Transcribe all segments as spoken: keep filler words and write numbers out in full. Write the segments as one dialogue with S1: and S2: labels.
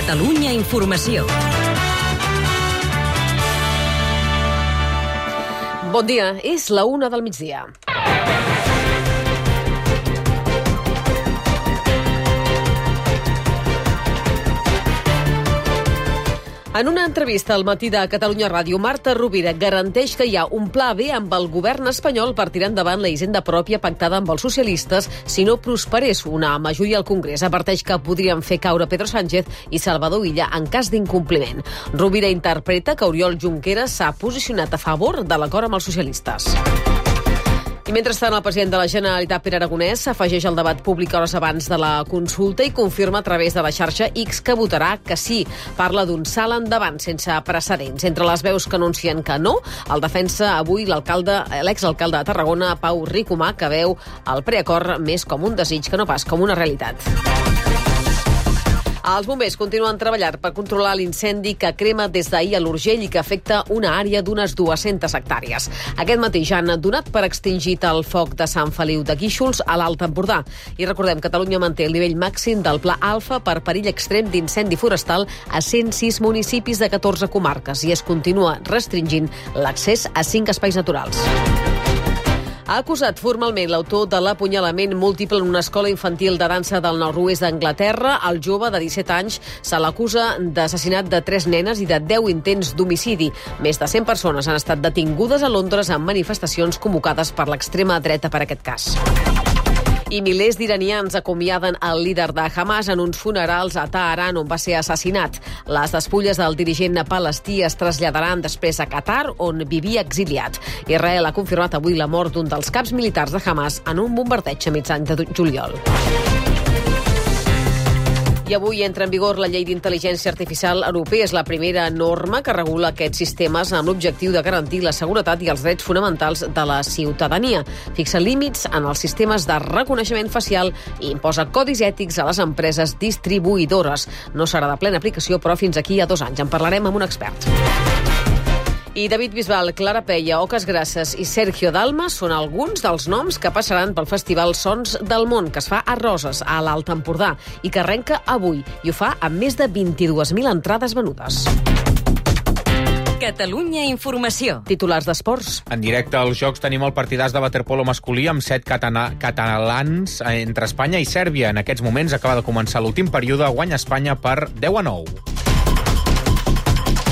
S1: Catalunya Informació.
S2: Bon dia, és la una del migdia. En una entrevista al matí de Catalunya Ràdio, Marta Rovira garanteix que hi ha un pla B amb el govern espanyol per tirar endavant la hisenda pròpia pactada amb els socialistes si no prosperés una majoria al Congrés. Adverteix que podrien fer caure Pedro Sánchez i Salvador Illa en cas d'incompliment. Rovira interpreta que Oriol Junqueras s'ha posicionat a favor de l'acord amb els socialistes. I mentrestant, el president de la Generalitat, Pere Aragonès, s'afegeix al debat públic hores abans de la consulta i confirma a través de la xarxa X que votarà que sí. Parla d'un salt endavant sense precedents. Entre les veus que anuncien que no, el defensa avui l'alcalde, l'exalcalde de Tarragona, Pau Ricomà, que veu el preacord més com un desig que no pas com una realitat. Els bombers continuen treballant per controlar l'incendi que crema des d'ahir a l'Urgell i que afecta una àrea d'unes dues-centes hectàrees. Aquest matí ja han donat per extingit el foc de Sant Feliu de Guíxols a l'Alt Empordà. I recordem, Catalunya manté el nivell màxim del Pla Alfa per perill extrem d'incendi forestal a cent sis municipis de catorze comarques i es continua restringint l'accés a cinc espais naturals. Ha acusat formalment l'autor de l'apunyalament múltiple en una escola infantil de dansa del nord-oest d'Anglaterra. El jove de disset anys se l'acusa d'assassinat de tres nenes i de deu intents d'homicidi. Més de cent persones han estat detingudes a Londres en manifestacions convocades per l'extrema dreta per aquest cas. I milers d'iranians acomiaden el líder de Hamas en uns funerals a Teheran on va ser assassinat. Les despulles del dirigent palestí es traslladaran després a Qatar, on vivia exiliat. Israel ha confirmat avui la mort d'un dels caps militars de Hamas en un bombardeig a mitjans de juliol. I avui entra en vigor la llei d'intel·ligència artificial europea. És la primera norma que regula aquests sistemes amb l'objectiu de garantir la seguretat i els drets fonamentals de la ciutadania. Fixa límits en els sistemes de reconeixement facial i imposa codis ètics a les empreses distribuïdores. No serà de plena aplicació, però fins aquí a dos anys. En parlarem amb un expert. I David Bisbal, Clara Peia, Oques Grasses i Sergio Dalma són alguns dels noms que passaran pel Festival Sons del Món, que es fa a Roses, a l'Alt Empordà, i que arrenca avui, i ho fa amb més de vint-i-dues mil entrades venudes.
S1: Catalunya Informació.
S2: Titulars d'esports.
S3: En directe als Jocs tenim el partidàs de waterpolo masculí amb set catana- catalans entre Espanya i Sèrbia. En aquests moments acaba de començar l'últim període, guanya Espanya per deu a nou.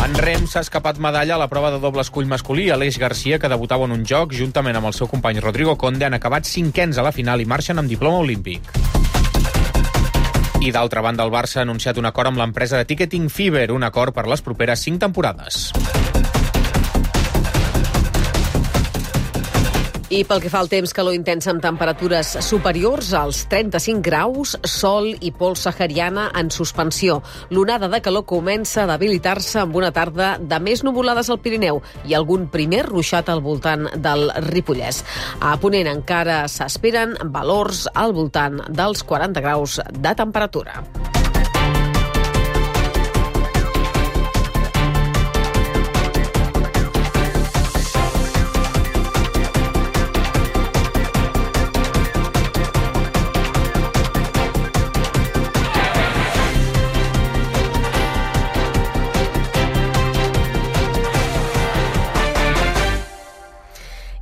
S3: En rem s'ha escapat medalla a la prova de doble escull masculí. Aleix Garcia, que debutava en un joc, juntament amb el seu company Rodrigo Conde, han acabat cinquens a la final i marxen amb diploma olímpic. I d'altra banda, el Barça ha anunciat un acord amb l'empresa de Ticketing Fever, un acord per les properes cinc temporades.
S2: I pel que fa al temps, calor intensa amb temperatures superiors als trenta-cinc graus, sol i pols sahariana en suspensió. L'onada de calor comença a debilitar-se amb una tarda de més nuvolades al Pirineu i algun primer ruixat al voltant del Ripollès. A Ponent encara s'esperen valors al voltant dels quaranta graus de temperatura.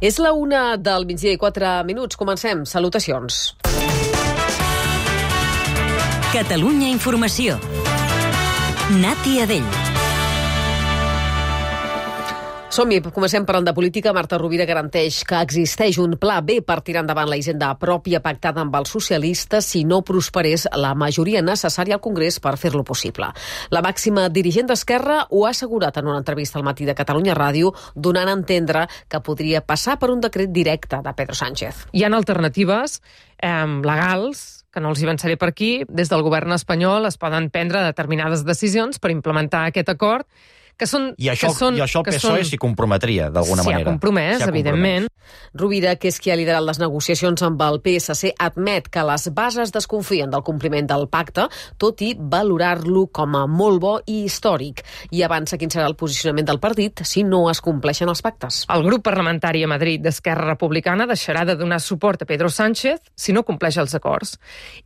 S2: És la una del migdia i quatre minuts. Comencem. Salutacions.
S1: Catalunya Informació. Nati Adell.
S2: Som-hi, comencem parlant de política. Marta Rovira garanteix que existeix un pla B per tirar endavant la hisenda pròpia pactada amb els socialistes si no prosperés la majoria necessària al Congrés per fer-lo possible. La màxima dirigent d'Esquerra ho ha assegurat en una entrevista al matí de Catalunya Ràdio, donant a entendre que podria passar per un decret directe de Pedro Sánchez.
S4: Hi ha alternatives eh, legals, que no els hi avançaré per aquí. Des del govern espanyol es poden prendre determinades decisions per implementar aquest acord, que són...
S5: I això,
S4: que són,
S5: i això el
S4: que
S5: P S O E
S4: són...
S5: s'hi comprometria, d'alguna
S4: S'hi ha
S5: manera.
S4: compromès,
S5: S'hi ha
S4: evidentment.
S5: compromès.
S2: Rovira, que és qui ha liderat les negociacions amb el P S C, admet que les bases desconfien del compliment del pacte, tot i valorar-lo com a molt bo i històric. I avança quin serà el posicionament del partit si no es compleixen els pactes.
S4: El grup parlamentari a Madrid d'Esquerra Republicana deixarà de donar suport a Pedro Sánchez si no compleix els acords.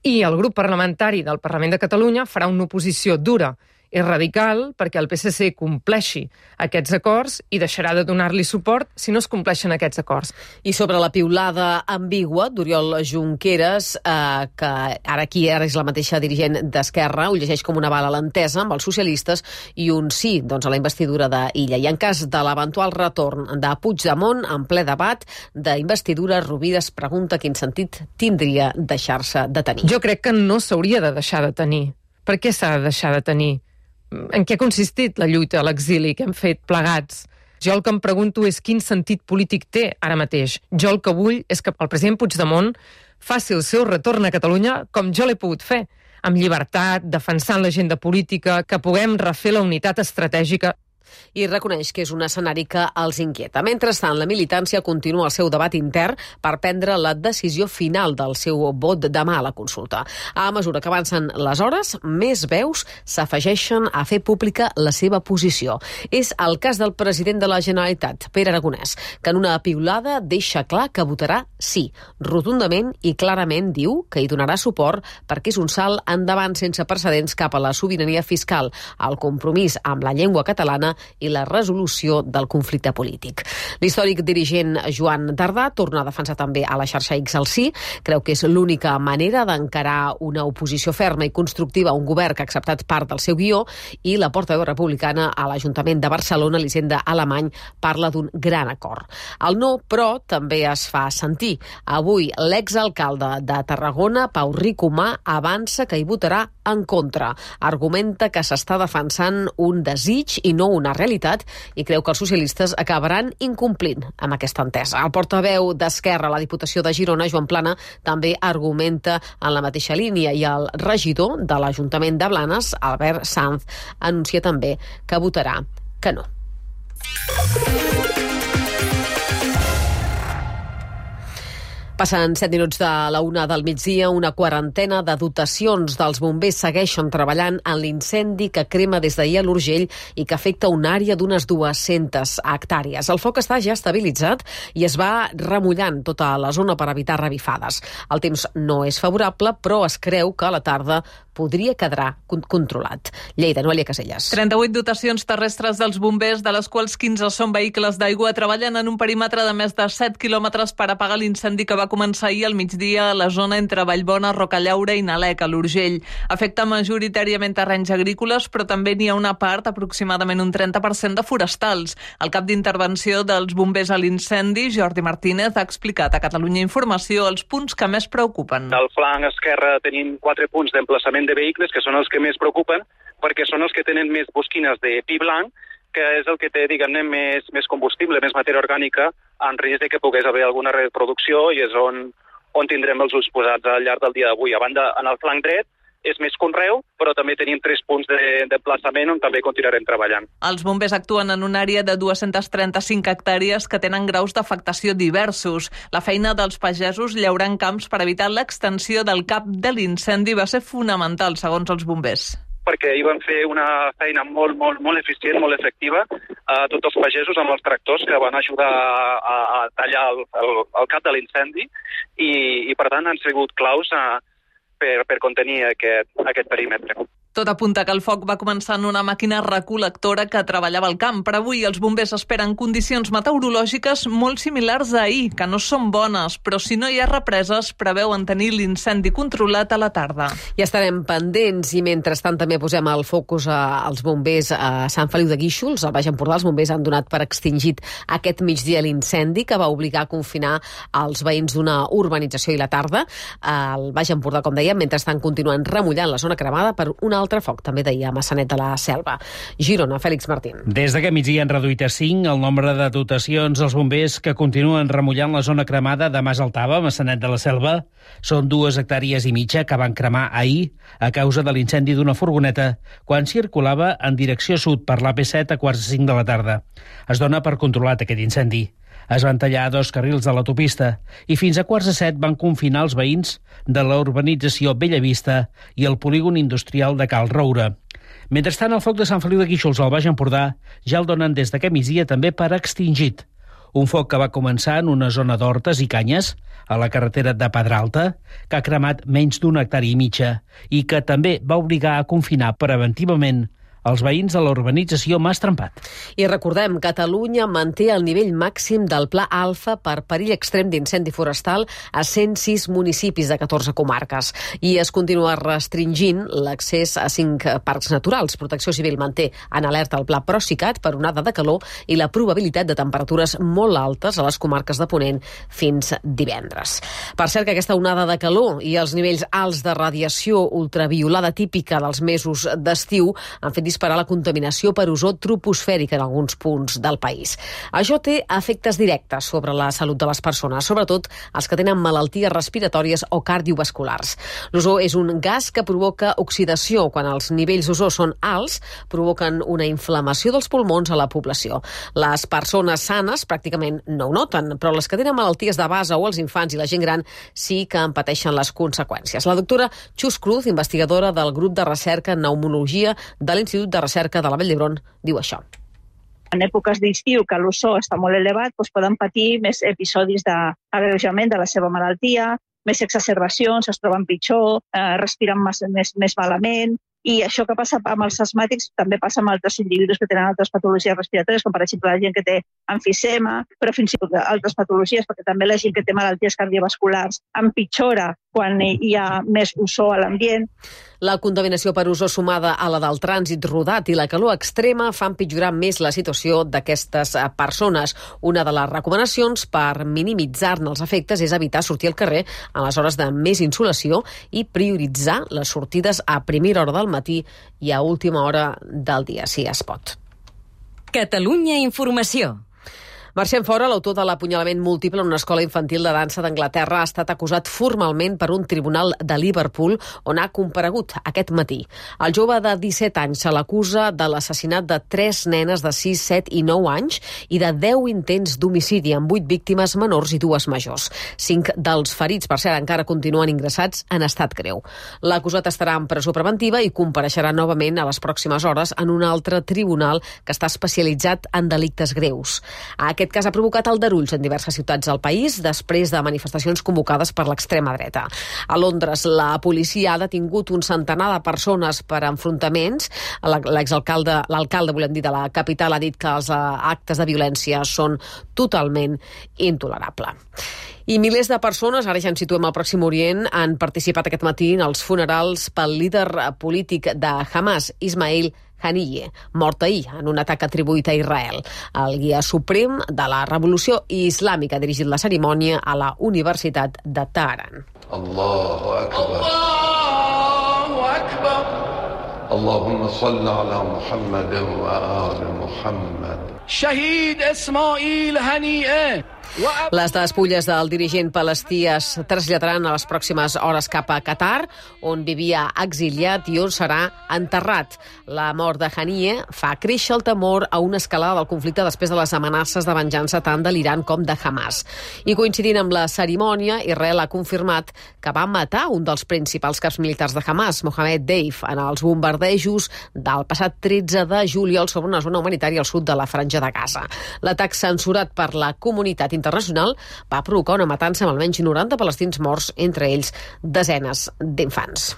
S4: I el grup parlamentari del Parlament de Catalunya farà una oposició dura és radical perquè el P S C compleixi aquests acords i deixarà de donar-li suport si no es compleixen aquests acords.
S2: I sobre la piulada ambigua d'Oriol Junqueras, eh, que ara aquí ara és la mateixa dirigent d'Esquerra, ho llegeix com una bala a l'entesa amb els socialistes i un sí doncs, a la investidura d'Illa. I en cas de l'eventual retorn de Puigdemont en ple debat d'investidura, Rovira es pregunta quin sentit tindria deixar-se de tenir.
S4: Jo crec que no s'hauria de deixar de tenir. Per què s'ha de deixar de tenir? En què ha consistit la lluita a l'exili que hem fet plegats? Jo el que em pregunto és quin sentit polític té ara mateix. Jo el que vull és que el president Puigdemont faci el seu retorn a Catalunya com jo l'he pogut fer, amb llibertat, defensant l'agenda política, que puguem refer la unitat estratègica.
S2: I reconeix que és un escenari que els inquieta. Mentrestant, la militància continua el seu debat intern per prendre la decisió final del seu vot demà a la consulta. A mesura que avancen les hores, més veus s'afegeixen a fer pública la seva posició. És el cas del president de la Generalitat, Pere Aragonès, que en una piulada deixa clar que votarà sí. Rotundament i clarament diu que hi donarà suport perquè és un salt endavant sense precedents cap a la sobirania fiscal, el compromís amb la llengua catalana i la resolució del conflicte polític. L'històric dirigent Joan Tardà torna a defensar també a la xarxa X el sí, creu que és l'única manera d'encarar una oposició ferma i constructiva a un govern que ha acceptat part del seu guió, i la portaveu republicana a l'Ajuntament de Barcelona, Elisenda Alemany, parla d'un gran acord. El no, però, també es fa sentir. Avui l'exalcalde de Tarragona, Pau Ricomà, avança que hi votarà en contra. Argumenta que s'està defensant un desig i no una realitat i creu que els socialistes acabaran incomplint amb aquesta entesa. El portaveu d'Esquerra a la Diputació de Girona, Joan Plana, també argumenta en la mateixa línia i el regidor de l'Ajuntament de Blanes, Albert Sanz, anuncia també que votarà que no. Passen set minuts de la una del migdia, una quarantena de dotacions dels bombers segueixen treballant en l'incendi que crema des d'ahir a l'Urgell i que afecta una àrea d'unes dues-centes hectàrees. El foc està ja estabilitzat i es va remullant tota la zona per evitar revifades. El temps no és favorable, però es creu que a la tarda podria quedar controlat. Lleida, Noelia Casellas.
S5: trenta-vuit dotacions terrestres dels bombers, de les quals quinze són vehicles d'aigua, treballen en un perímetre de més de set quilòmetres per apagar l'incendi que va començar ahir al migdia a la zona entre Vallbona, Rocallaura i Nalec, a l'Urgell. Afecta majoritàriament terrenys agrícoles, però també n'hi ha una part, aproximadament un trenta per cent, de forestals. El cap d'intervenció dels bombers a l'incendi, Jordi Martínez, ha explicat a Catalunya Informació els punts que més preocupen.
S6: Al flanc esquerre tenim quatre punts d'emplaçament de vehicles, que són els que més preocupen, perquè són els que tenen més bosquines de pi blanc, que és el que té, diguem-ne, més, més combustible, més matèria orgànica, en risc de que pogués haver alguna reproducció, i és on, on tindrem els ulls posats al llarg del dia d'avui. A banda, en el flanc dret, és més conreu, però també tenim tres punts d'emplaçament on també continuarem treballant.
S5: Els bombers actuen en una àrea de dues-centes trenta-cinc hectàrees que tenen graus d'afectació diversos. La feina dels pagesos llaurant camps per evitar l'extensió del cap de l'incendi va ser fonamental, segons els bombers.
S6: Perquè hi van fer una feina molt, molt, molt eficient, molt efectiva, a tots els pagesos amb els tractors que van ajudar a, a tallar el, el, el cap de l'incendi i, i, per tant, han sigut claus a, per, per contenir aquest, aquest perímetre.
S5: Tot apunta que el foc va començar en una màquina recol·lectora que treballava al camp. Per avui els bombers esperen condicions meteorològiques molt similars a ahir, que no són bones, però si no hi ha represes, preveuen tenir l'incendi controlat a la tarda.
S2: I estarem pendents i mentrestant també posem el focus als bombers a Sant Feliu de Guíxols. Al Baix Empordà els bombers han donat per extingit aquest migdia l'incendi que va obligar a confinar els veïns d'una urbanització i la tarda. Al Baix Empordà, com dèiem, mentrestant continuen remullant la zona cremada per una altre foc, també d'ahir a Massanet de la Selva. Girona, Fèlix Martín.
S7: Des d'aquest migdia han reduït a cinc el nombre de dotacions als bombers que continuen remullant la zona cremada de Mas Altava, Massanet de la Selva. Són dues hectàrees i mitja que van cremar ahir a causa de l'incendi d'una furgoneta quan circulava en direcció sud per l'A P set a quarts de cinc de la tarda. Es dona per controlat aquest incendi. Es van tallar dos carrils de l'autopista i fins a quarts de set van confinar els veïns de la urbanització Bellavista i el polígon industrial de Cal Roure. Mentrestant, el foc de Sant Feliu de Guíxols al Baix Empordà ja el donen des d'aquest migdia també per extingit. Un foc que va començar en una zona d'hortes i canyes, a la carretera de Pedralta, que ha cremat menys d'una hectàrea i mitja i que també va obligar a confinar preventivament els veïns de la urbanització Mas Trempat.
S2: I recordem, Catalunya manté el nivell màxim del Pla Alfa per perill extrem d'incendi forestal a cent sis municipis de catorze comarques. I es continua restringint l'accés a cinc parcs naturals. Protecció Civil manté en alerta el Pla Procicat per onada de calor i la probabilitat de temperatures molt altes a les comarques de Ponent fins divendres. Per cert, que aquesta onada de calor i els nivells alts de radiació ultraviolada típica dels mesos d'estiu han fet disparar la contaminació per ozó troposfèrica en alguns punts del país. Això té efectes directes sobre la salut de les persones, sobretot els que tenen malalties respiratòries o cardiovasculars. L'ozó és un gas que provoca oxidació. Quan els nivells d'ozó són alts, provoquen una inflamació dels pulmons a la població. Les persones sanes pràcticament no ho noten, però les que tenen malalties de base o els infants i la gent gran sí que en pateixen les conseqüències. La doctora Chus Cruz, investigadora del grup de recerca en pneumologia de l'Institut de Recerca de la Vall d'Hebron, diu això.
S8: En èpoques d'estiu, que l'ozó està molt elevat, doncs poden patir més episodis d'agreujament de la seva malaltia, més exacerbacions, es troben pitjor, eh, respiren més, més, més malament. I això que passa amb els asmàtics també passa amb altres individus que tenen altres patologies respiratòries, com per exemple la gent que té emfisema, però fins i tot altres patologies, perquè també la gent que té malalties cardiovasculars empitjora quan hi ha més ozó a l'ambient.
S2: La contaminació per ozó sumada a la del trànsit rodat i la calor extrema fa empitjorar més la situació d'aquestes persones. Una de les recomanacions per minimitzar-ne els efectes és evitar sortir al carrer a les hores de més insolació i prioritzar les sortides a primera hora del matí i a última hora del dia, si es pot.
S1: Catalunya Informació.
S2: Marxem fora, l'autor de l'apunyalament múltiple en una escola infantil de dansa d'Anglaterra ha estat acusat formalment per un tribunal de Liverpool on ha comparegut aquest matí. El jove de disset anys se l'acusa de l'assassinat de tres nenes de sis, set i nou anys i de deu intents d'homicidi amb vuit víctimes menors i dues majors. Cinc dels ferits, per cert, encara continuen ingressats en estat greu. L'acusat estarà en presó preventiva i compareixerà novament a les pròximes hores en un altre tribunal que està especialitzat en delictes greus. Aquest Aquest cas ha provocat aldarulls en diverses ciutats del país després de manifestacions convocades per l'extrema dreta. A Londres, la policia ha detingut un centenar de persones per enfrontaments. L'exalcalde, l'alcalde, volem dir, de la capital ha dit que els actes de violència són totalment intolerables. I milers de persones, ara ja ens situem al Pròxim Orient, han participat aquest matí en els funerals pel líder polític de Hamas, Ismail Haniyeh, mort ahir en un atac atribuït a Israel. El guia suprem de la revolució islàmica ha dirigit la cerimònia a la Universitat de Teheran.
S9: Allahu Akbar. Allahu Akbar. Allahumma salli ala Muhammad wa ali Muhammad. Shahid Ismail Haniyeh.
S2: Les despulles del dirigent palestí es traslladaran a les pròximes hores cap a Qatar, on vivia exiliat i on serà enterrat. La mort de Haniyeh fa créixer el temor a una escalada del conflicte després de les amenaces de venjança tant de l'Iran com de Hamas. I coincidint amb la cerimònia, Israel ha confirmat que va matar un dels principals caps militars de Hamas, Mohamed Deif, en els bombardejos del passat tretze de juliol sobre una zona humanitària al sud de la Franja de Gaza. L'atac censurat per la comunitat internacional va provocar una matança amb almenys noranta palestins morts, entre ells desenes d'infants.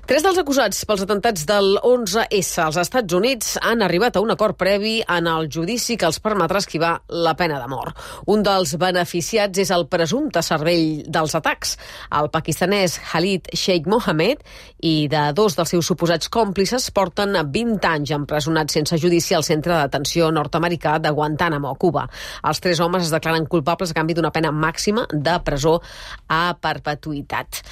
S2: Tres dels acusats pels atentats del onze esse als Estats Units han arribat a un acord previ en el judici que els permetrà esquivar la pena de mort. Un dels beneficiats és el presumpte cervell dels atacs, el pakistanès Khalid Sheikh Mohammed, i de dos dels seus suposats còmplices porten vint anys empresonats sense judici al centre de detenció nord-americà de Guantánamo, a Cuba. Els tres homes es declaren culpables a canvi d'una pena màxima de presó a perpetuïtat.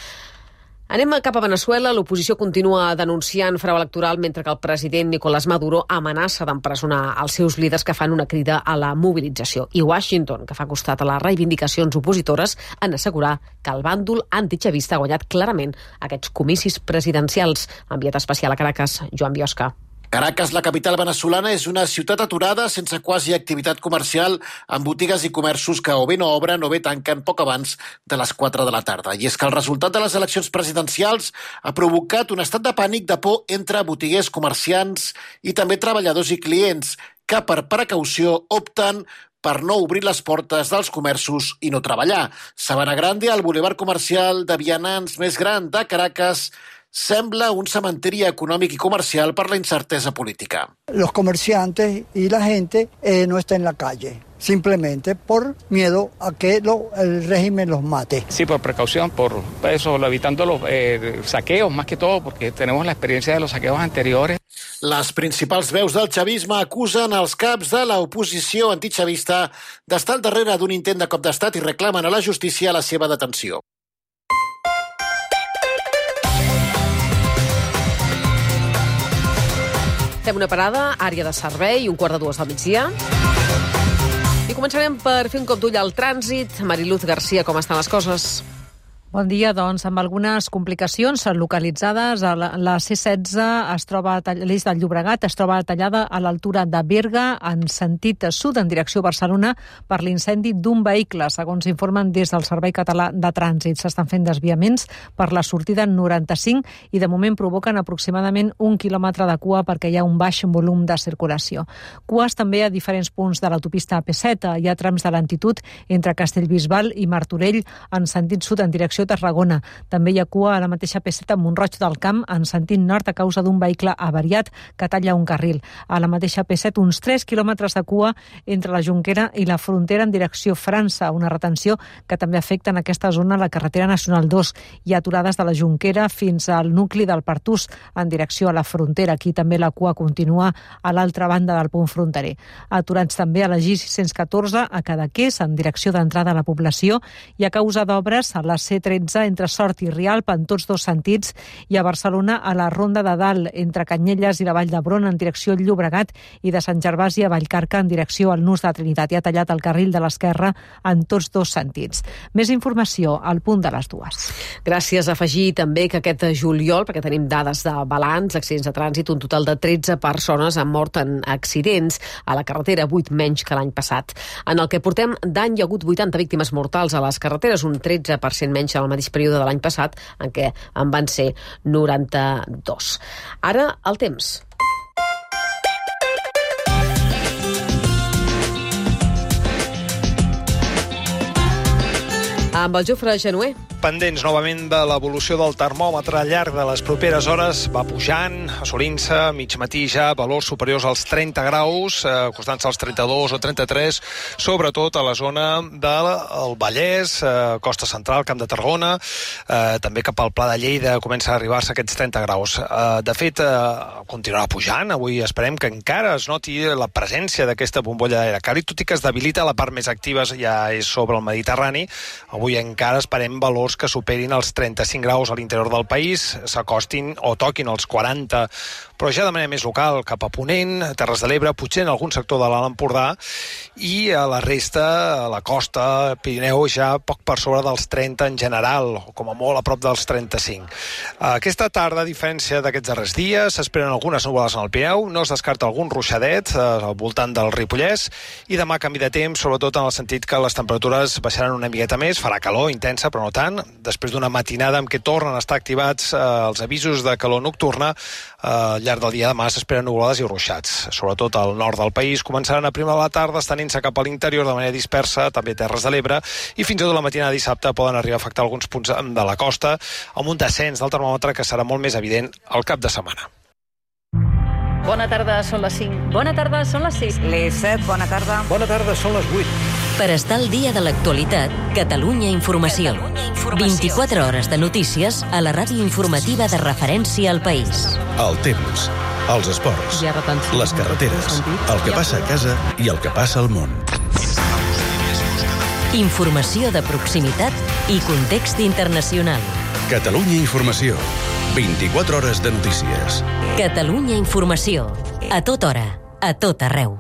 S2: Anem cap a Veneçuela. L'oposició continua denunciant frau electoral mentre que el president Nicolás Maduro amenaça d'empresonar els seus líders que fan una crida a la mobilització. I Washington, que fa costat a les reivindicacions opositores, en assegurar que el bàndol antichavista ha guanyat clarament aquests comicis presidencials. Enviat especial a Caracas, Joan Biosca.
S10: Caracas, la capital venezolana, és una ciutat aturada sense quasi activitat comercial, amb botigues i comerços que o bé no obren o bé tanquen poc abans de les quatre de la tarda. I és que el resultat de les eleccions presidencials ha provocat un estat de pànic, de por entre botiguers, comerciants i també treballadors i clients que per precaució opten per no obrir les portes dels comerços i no treballar. Sabana Grande, el bulevard comercial de vianants més gran de Caracas, sembla un cementeri econòmic i comercial per la incertesa política.
S11: Los comerciantes y la gente eh, no está en la calle, simplemente por miedo a que lo, el régimen los mate.
S12: Sí, por precaución, por eso, evitando los eh, saqueos, más que todo, porque tenemos la experiencia de los saqueos anteriores.
S10: Les principals veus del xavisme acusen els caps de l'oposició antichavista d'estar al darrere d'un intent de cop d'estat i reclamen a la justícia la seva detenció.
S2: Fem una parada, àrea de servei, un quart de dues del migdia. I començarem per fer un cop d'ull al trànsit. Mariluz Garcia, com estan les coses?
S13: Bon dia, doncs, amb algunes complicacions localitzades. La, la C setze es troba, l'eix del Llobregat es troba tallada a l'altura de Berga en sentit sud, en direcció a Barcelona, per l'incendi d'un vehicle. Segons informen des del Servei Català de Trànsit, s'estan fent desviaments per la sortida noranta-cinc i de moment provoquen aproximadament un quilòmetre de cua perquè hi ha un baix volum de circulació. Cues també a diferents punts de l'autopista A P set. Hi ha trams de lentitud entre Castellbisbal i Martorell en sentit sud en direcció a Tarragona. També hi ha cua a la mateixa A P set a Mont-roig del Camp en sentit nord a causa d'un vehicle avariat que talla un carril. A la mateixa A P set uns tres quilòmetres de cua entre la Jonquera i la frontera en direcció França, una retenció que també afecta en aquesta zona la carretera nacional dos. Hi ha aturades de la Jonquera fins al nucli del Pertús en direcció a la frontera. Aquí també la cua continua a l'altra banda del punt fronterer. Aturats també a la G sis cents catorze a Cadaqués en direcció d'entrada a la població i a causa d'obres a la C tretze entre Sort i Rialp en tots dos sentits i a Barcelona a la Ronda de Dalt entre Canyelles i la Vall d'Hebron en direcció al Llobregat i de Sant Gervasi a Vallcarca en direcció al Nus de Trinitat. I ha tallat el carril de l'esquerra en tots dos sentits. Més informació al punt de les dues.
S2: Gràcies. A afegir també que aquest juliol, perquè tenim dades de balanç, accidents de trànsit, un total de tretze persones han mort en accidents a la carretera, vuit menys que l'any passat. En el que portem d'any hi ha hagut vuitanta víctimes mortals a les carreteres, un tretze per cent menys al mateix període de l'any passat, en què en van ser noranta-dos. Ara, el temps. Amb el Jofre Genuer.
S14: Pendents novament de l'evolució del termòmetre al llarg de les properes hores, va pujant, assolint-se mig matí ja valors superiors als trenta graus, eh, costant-se als trenta-dos o trenta-tres, sobretot a la zona del Vallès, eh, Costa Central, Camp de Tarragona, eh, també cap al Pla de Lleida comença a arribar-se aquests trenta graus. Eh, de fet, eh, continuarà pujant, avui esperem que encara es noti la presència d'aquesta bombolla d'aire càlid, tot i que es debilita la part més activa, ja és sobre el Mediterrani. Avui encara esperem valors que superin els trenta-cinc graus a l'interior del país, s'acostin o toquin els quaranta, però ja de manera més local, cap a Ponent, Terres de l'Ebre, potser en algun sector de l'Alt Empordà, i a la resta, a la costa, Pirineu, ja poc per sobre dels trenta en general, o com a molt a prop dels trenta-cinc. Aquesta tarda, a diferència d'aquests darrers dies, s'esperen algunes nuvolades en el Pirineu, no es descarta algun ruixadet al voltant del Ripollès, i demà canvi de temps, sobretot en el sentit que les temperatures baixaran una miqueta més, farà calor intensa, però no tant, després d'una matinada en què tornen a estar activats eh, els avisos de calor nocturna. Eh, al llarg del dia de demà s'esperen nuvolades i ruixats. Sobretot al nord del país començaran a primera de la tarda, estenent-se cap a l'interior de manera dispersa, també Terres de l'Ebre, i fins i tot la matinada de dissabte poden arribar a afectar alguns punts de la costa, amb un descens del termòmetre que serà molt més evident al cap de setmana.
S15: Bona tarda, són les cinc.
S1: Bona tarda, són les sis.
S15: Les set, bona tarda.
S16: Bona tarda, són les vuit.
S1: Per estar al dia de l'actualitat, Catalunya Informació. Catalunya Informació. vint-i-quatre hores de notícies a la ràdio informativa de referència al país.
S16: El temps, els esports, les carreteres, el que passa a casa i el que passa al món.
S1: Informació de proximitat i context internacional.
S16: Catalunya Informació. vint-i-quatre hores de notícies.
S1: Catalunya Informació. A tota hora, a tot arreu.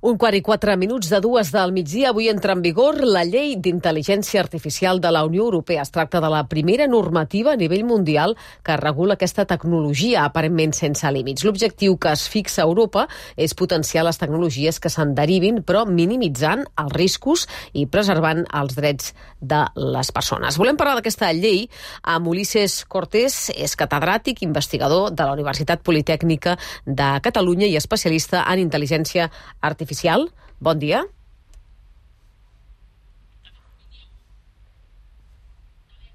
S2: Un quart i quatre minuts de dues del migdia. Avui entra en vigor la llei d'intel·ligència artificial de la Unió Europea. Es tracta de la primera normativa a nivell mundial que regula aquesta tecnologia aparentment sense límits. L'objectiu que es fixa a Europa és potenciar les tecnologies que se'n derivin, però minimitzant els riscos i preservant els drets de les persones. Volem parlar d'aquesta llei amb Ulises Cortés, és catedràtic, investigador de la Universitat Politècnica de Catalunya i especialista en intel·ligència artificial. Bon dia.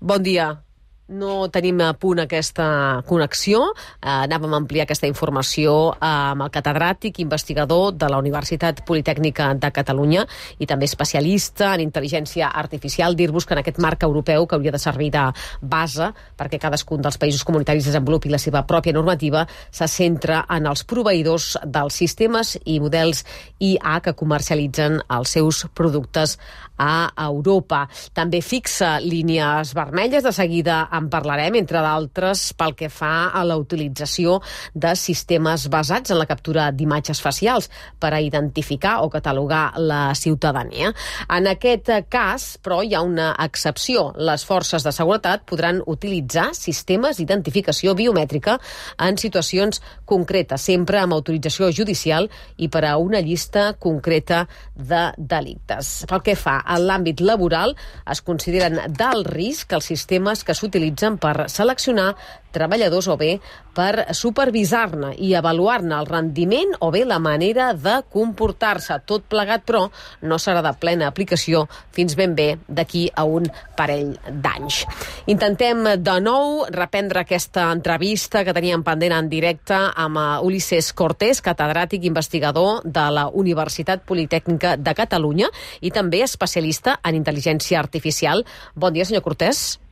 S2: Bon dia. no tenim a punt aquesta connexió. Eh, anàvem a ampliar aquesta informació amb el catedràtic investigador de la Universitat Politècnica de Catalunya i també especialista en intel·ligència artificial. Dir-vos que en aquest marc europeu, que hauria de servir de base perquè cadascun dels països comunitaris desenvolupi la seva pròpia normativa, se centra en els proveïdors dels sistemes i models I A que comercialitzen els seus productes a Europa. També fixa línies vermelles, de seguida en parlarem, entre d'altres pel que fa a la utilització de sistemes basats en la captura d'imatges facials per a identificar o catalogar la ciutadania. En aquest cas, però, hi ha una excepció. Les forces de seguretat podran utilitzar sistemes d'identificació biomètrica en situacions concretes, sempre amb autorització judicial i per a una llista concreta de delictes. Pel que fa a l'àmbit laboral, es consideren d'alt risc els sistemes que s'utilitzen per seleccionar treballadors o bé per supervisar-ne i avaluar-ne el rendiment o bé la manera de comportar-se. Tot plegat, però, no serà de plena aplicació fins ben bé d'aquí a un parell d'anys. Intentem de nou reprendre aquesta entrevista que teníem pendent en directe amb Ulises Cortés, catedràtic investigador de la Universitat Politècnica de Catalunya i també especialista en intel·ligència artificial. Bon dia, senyor Cortés.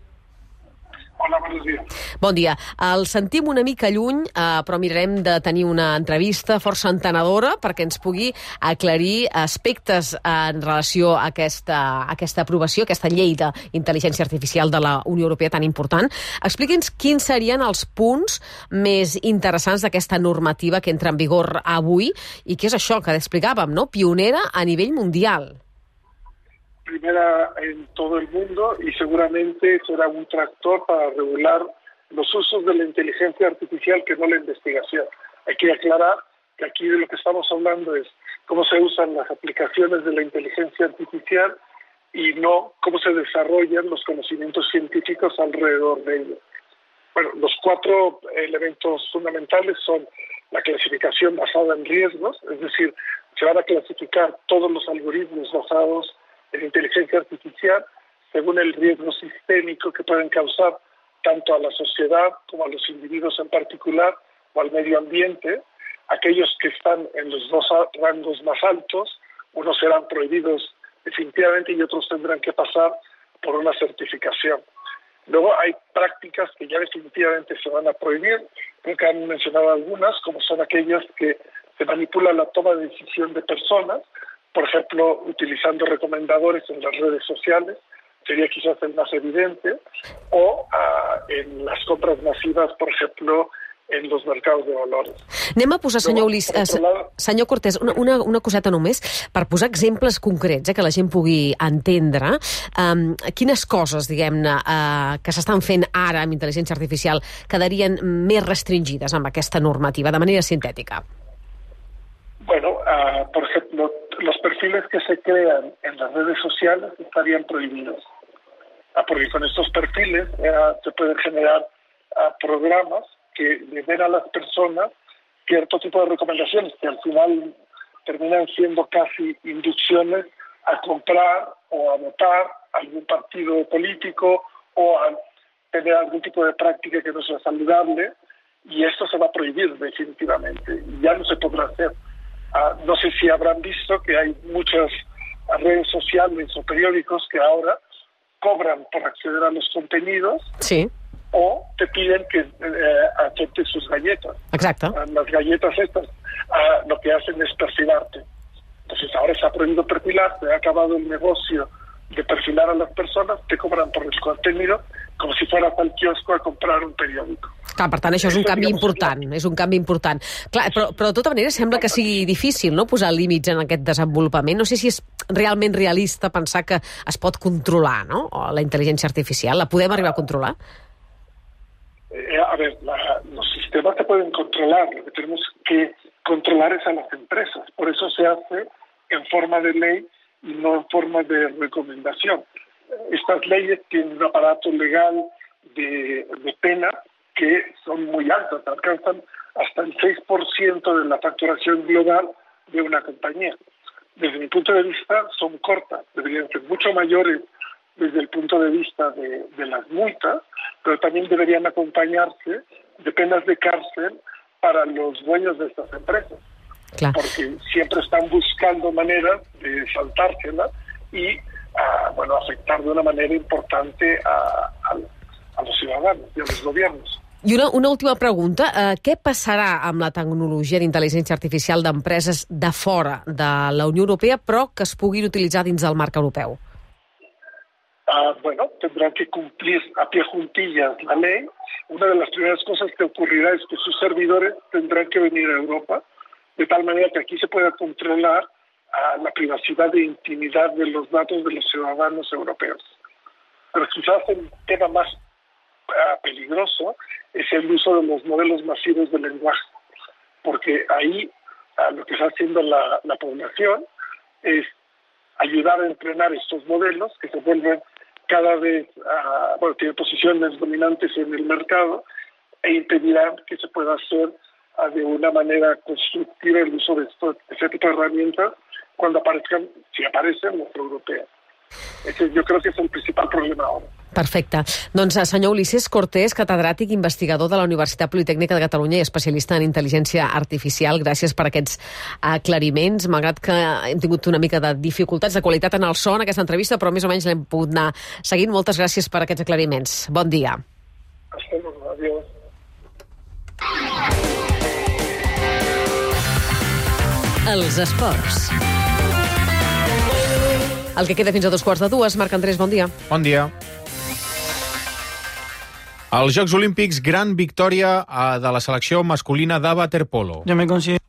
S17: Hola, buenos días.
S2: Bon dia. El sentim una mica lluny, eh, però mirarem de tenir una entrevista força entenedora perquè ens pugui aclarir aspectes en relació a aquesta, a aquesta aprovació, aquesta llei d'intel·ligència artificial de la Unió Europea tan important. Expliqui'ns quins serien els punts més interessants d'aquesta normativa que entra en vigor avui i què és això que explicàvem, no? Pionera a nivell mundial.
S17: Primera en todo el mundo y seguramente será un tractor para regular los usos de la inteligencia artificial que no la investigación. Hay que aclarar que aquí de lo que estamos hablando es cómo se usan las aplicaciones de la inteligencia artificial y no cómo se desarrollan los conocimientos científicos alrededor de ello. Bueno, los cuatro elementos fundamentales son la clasificación basada en riesgos, es decir, se van a clasificar todos los algoritmos basados en inteligencia artificial según el riesgo sistémico que pueden causar tanto a la sociedad como a los individuos en particular o al medio ambiente. Aquellos que están en los dos rangos más altos, unos serán prohibidos definitivamente y otros tendrán que pasar por una certificación. Luego hay prácticas que ya definitivamente se van a prohibir, creo que han mencionado algunas, como son aquellas que se manipula la toma de decisión de personas, por ejemplo, utilizando recomendadores en las redes sociales, sería quizás el más evidente, o uh, en las compras masivas, por ejemplo, en los mercados de valores.
S2: Anem a posar, senyor Ulises, lado... senyor Cortés, una, una, una coseta només, per posar exemples concrets, eh, que la gent pugui entendre. Um, quines coses, diguem-ne, uh, que s'estan fent ara amb intel·ligència artificial quedarien més restringides amb aquesta normativa, de manera sintètica?
S17: Bueno, uh, por ejemplo, los perfiles que se crean en las redes sociales estarían prohibidos. Uh, porque con estos perfiles uh, se pueden generar uh, programas que le den a las personas cierto tipo de recomendaciones que al final terminan siendo casi inducciones a comprar o a votar algún partido político o a tener algún tipo de práctica que no sea saludable, y esto se va a prohibir definitivamente. Ya no se podrá hacer. Uh, no sé si habrán visto que hay muchas redes sociales o periódicos que ahora cobran por acceder a los contenidos.
S2: Sí.
S17: O te piden que eh, aceptes sus galletas.
S2: Exacto.
S17: Uh, las galletas estas uh, lo que hacen es perfilarte. Entonces ahora se ha prohibido perfilarte, ha acabado el negocio de perfilar a las persones, te cobran por el contenido com si fueras al quiosco a comprar un periòdico.
S2: Clar, per tant, això és un canvi important, és un canvi important. Clar, però, però de tota manera sembla que sigui difícil, no?, posar límits en aquest desenvolupament. No sé si és realment realista pensar que es pot controlar, no?, la intel·ligència artificial. La podem arribar a controlar?
S17: Eh, a ver, la, los sistemas se pueden controlar. Lo que tenemos que controlar es a las empresas. Por eso se hace en forma de ley y no en forma de recomendación. Estas leyes tienen un aparato legal de, de pena que son muy altas, alcanzan hasta el seis por ciento de la facturación global de una compañía. Desde mi punto de vista son cortas, deberían ser mucho mayores desde el punto de vista de, de las multas, pero también deberían acompañarse de penas de cárcel para los dueños de estas empresas. Claro. Porque siempre están buscando maneras de saltársela y uh, bueno, afectar de una manera importante a, a, a los ciudadanos y a los gobiernos.
S2: I una, una última pregunta. Uh, què passarà amb la tecnologia d'intel·ligència artificial d'empreses de fora de la Unió Europea, però que es puguin utilitzar dins del marc europeu?
S17: Uh, bueno, tendrán que cumplir a pie juntillas la ley. Una de las primeras cosas que ocurrirá es que sus servidores tendrán que venir a Europa, de tal manera que aquí se pueda controlar uh, la privacidad e intimidad de los datos de los ciudadanos europeos. Pero quizás el tema más uh, peligroso es el uso de los modelos masivos de lenguaje, porque ahí uh, lo que está haciendo la, la población es ayudar a entrenar estos modelos que se vuelven cada vez, uh, bueno, tienen posiciones dominantes en el mercado e impedirán que se pueda hacer uh, de una manera constructiva el uso de esto, este tipo de herramientas cuando aparezcan, si aparecen, los europeos. Ese yo creo que es el principal problema ahora.
S2: Perfecte. Doncs senyor Ulisses Cortés, catedràtic investigador de la Universitat Politècnica de Catalunya i especialista en intel·ligència artificial, gràcies per aquests aclariments. Malgrat que hem tingut una mica de dificultats de qualitat en el so en aquesta entrevista, però més o menys l'hem pogut anar seguint. Moltes gràcies per aquests aclariments. Bon dia.
S17: Hasta luego. Adiós.
S1: Els esports.
S2: El que queda fins a dos quarts de dues. Marc Andrés, bon dia.
S3: Bon dia. Als Jocs Olímpics, gran victòria de la selecció masculina de waterpolo.
S18: Jo me considero...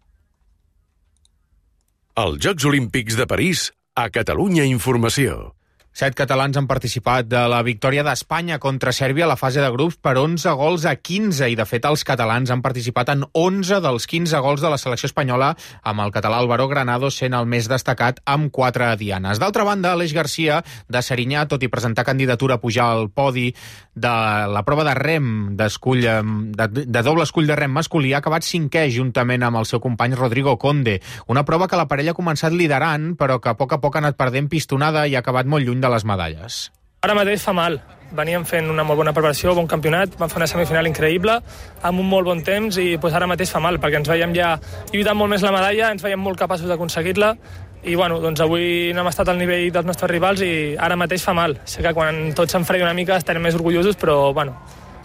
S16: Els Jocs Olímpics de París, a Catalunya Informació.
S3: Set catalans han participat de la victòria d'Espanya contra Sèrbia a la fase de grups per onze gols a quinze, i de fet els catalans han participat en onze dels quinze gols de la selecció espanyola, amb el català Álvaro Granados sent el més destacat amb quatre dianes. D'altra banda, Aleix Garcia, de Serinyà, tot i presentar candidatura a pujar al podi de la prova de rem d'escull, de, de doble escull de rem masculí, ha acabat cinquè juntament amb el seu company Rodrigo Conde. Una prova que la parella ha començat liderant, però que a poc a poc ha anat perdent pistonada i ha acabat molt lluny de les medalles.
S18: Ara mateix fa mal. Veníem fent una molt bona preparació, bon campionat, vam fer una semifinal increïble, amb un molt bon temps, i pues, ara mateix fa mal, perquè ens veiem ja lluitant molt més la medalla, ens veiem molt capaços d'aconseguir-la, i bueno, doncs avui no hem estat al nivell dels nostres rivals i ara mateix fa mal. Sé que quan tot s'enfredi una mica estarem més orgullosos, però bueno,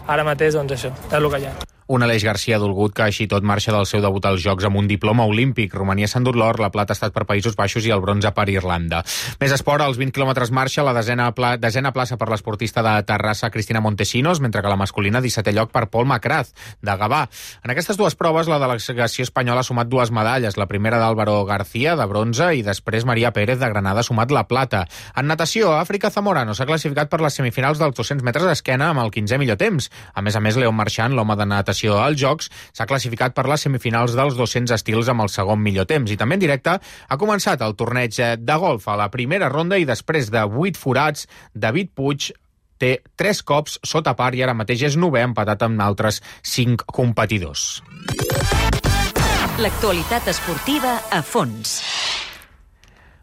S18: ara mateix doncs això, és el que hi ha.
S3: Un Aleix Garcia dolgut que així tot marxa del seu debut als Jocs amb un diploma olímpic. Romania s'ha endut l'or, la plata ha estat per Països Baixos i el bronze per Irlanda. Més esport, als vint quilòmetres marxa, la desena, pla, desena plaça per l'esportista de Terrassa Cristina Montesinos, mentre que la masculina dissetè lloc per Pol Macraz, de Gavà. En aquestes dues proves, la delegació espanyola ha sumat dues medalles, la primera d'Álvaro García, de bronze, i després Maria Pérez, de Granada, ha sumat la plata. En natació, Àfrica Zamorano s'ha classificat per les semifinals dels dos-cents metres d'esquena amb el quinzè millor temps. A més a més, Leon Marchand, l'home de natació als Jocs, s'ha classificat per les semifinals dels dos-cents estils amb el segon millor temps. I també en directe ha començat el torneig de golf a la primera ronda i després de vuit forats, David Puig té tres cops sota par i ara mateix és novè, empatat amb altres cinc competidors.
S1: L'actualitat esportiva a fons.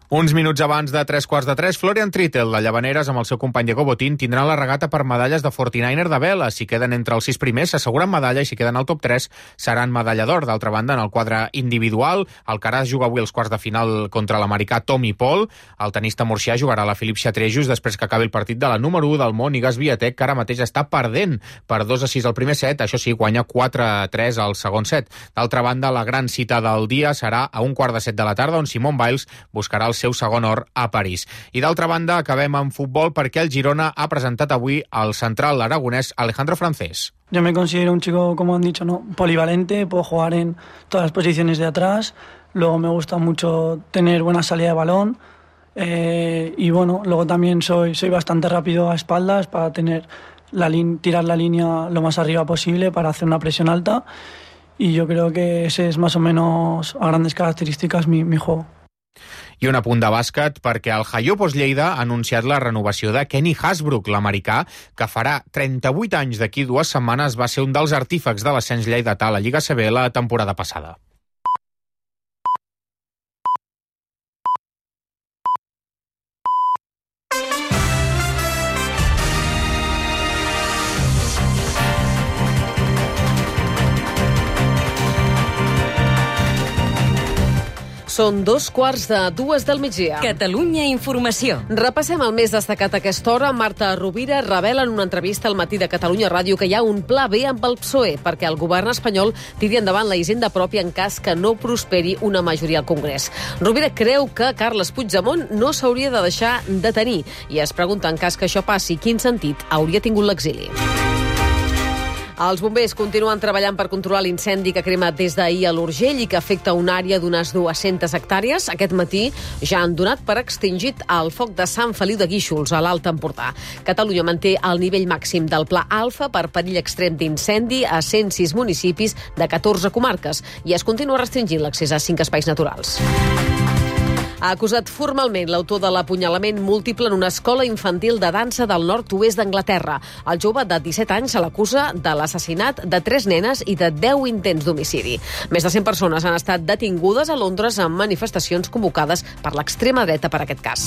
S3: Uns minuts abans de tres quarts de tres, Florian Trittel, de Llavaneres, amb el seu company Diego Botín, tindran la regata per medalles de forty-niner de vela. Si queden entre els sis primers, s'asseguren medalla, i si queden al top tres, seran medalla d'or. D'altra banda, en el quadre individual, Alcaraz juga avui els quarts de final contra l'americà Tommy Paul. El tenista murcià jugarà a la Philippe Chatrier després que acabi el partit de la número u del món, Iga Swiatek, que ara mateix està perdent per dos a sis al primer set. Això sí, guanya quatre a tres al segon set. D'altra banda, la gran cita del dia serà a un quart de set de la tarda, on Simone Biles buscarà el seu segon or a París. I d'altra banda, acabem amb futbol perquè el Girona ha presentat avui al central aragonès Alejandro Francés.
S18: Yo me considero un chico, como han dicho, ¿no? polivalente, puedo jugar en todas las posiciones de atrás, luego me gusta mucho tener buena salida de balón, eh, y bueno, luego también soy, soy bastante rápido a espaldas para tener la tirar la línea lo más arriba posible para hacer una presión alta, y yo creo que ese es más o menos a grandes características mi, mi juego.
S3: I un apunt de bàsquet perquè el Jaiopos Lleida ha anunciat la renovació de Kenny Hasbrook, l'americà, que farà trenta-vuit anys d'aquí dues setmanes, va ser un dels artífecs de l'ascens lleidatà a la Lliga C B la temporada passada.
S2: Són dos quarts de dues del migdia.
S1: Catalunya Informació.
S2: Repassem el més destacat a aquesta hora. Marta Rovira revela en una entrevista al Matí de Catalunya Ràdio que hi ha un pla B amb el P S O E perquè el govern espanyol tiri endavant la hisenda pròpia en cas que no prosperi una majoria al Congrés. Rovira creu que Carles Puigdemont no s'hauria de deixar detenir i es pregunta en cas que això passi quin sentit hauria tingut l'exili. Els bombers continuen treballant per controlar l'incendi que crema des d'ahir a l'Urgell i que afecta una àrea d'unes dues-centes hectàrees. Aquest matí ja han donat per extingit el foc de Sant Feliu de Guíxols, a l'Alt Empordà. Catalunya manté el nivell màxim del Pla Alfa per perill extrem d'incendi a cent sis municipis de catorze comarques i es continua restringint l'accés a cinc espais naturals. Ha acusat formalment l'autor de l'apunyalament múltiple en una escola infantil de dansa del nord-oest d'Anglaterra. El jove de disset anys se l'acusa de l'assassinat de tres nenes i de deu intents d'homicidi. Més de cent persones han estat detingudes a Londres en manifestacions convocades per l'extrema dreta per aquest cas.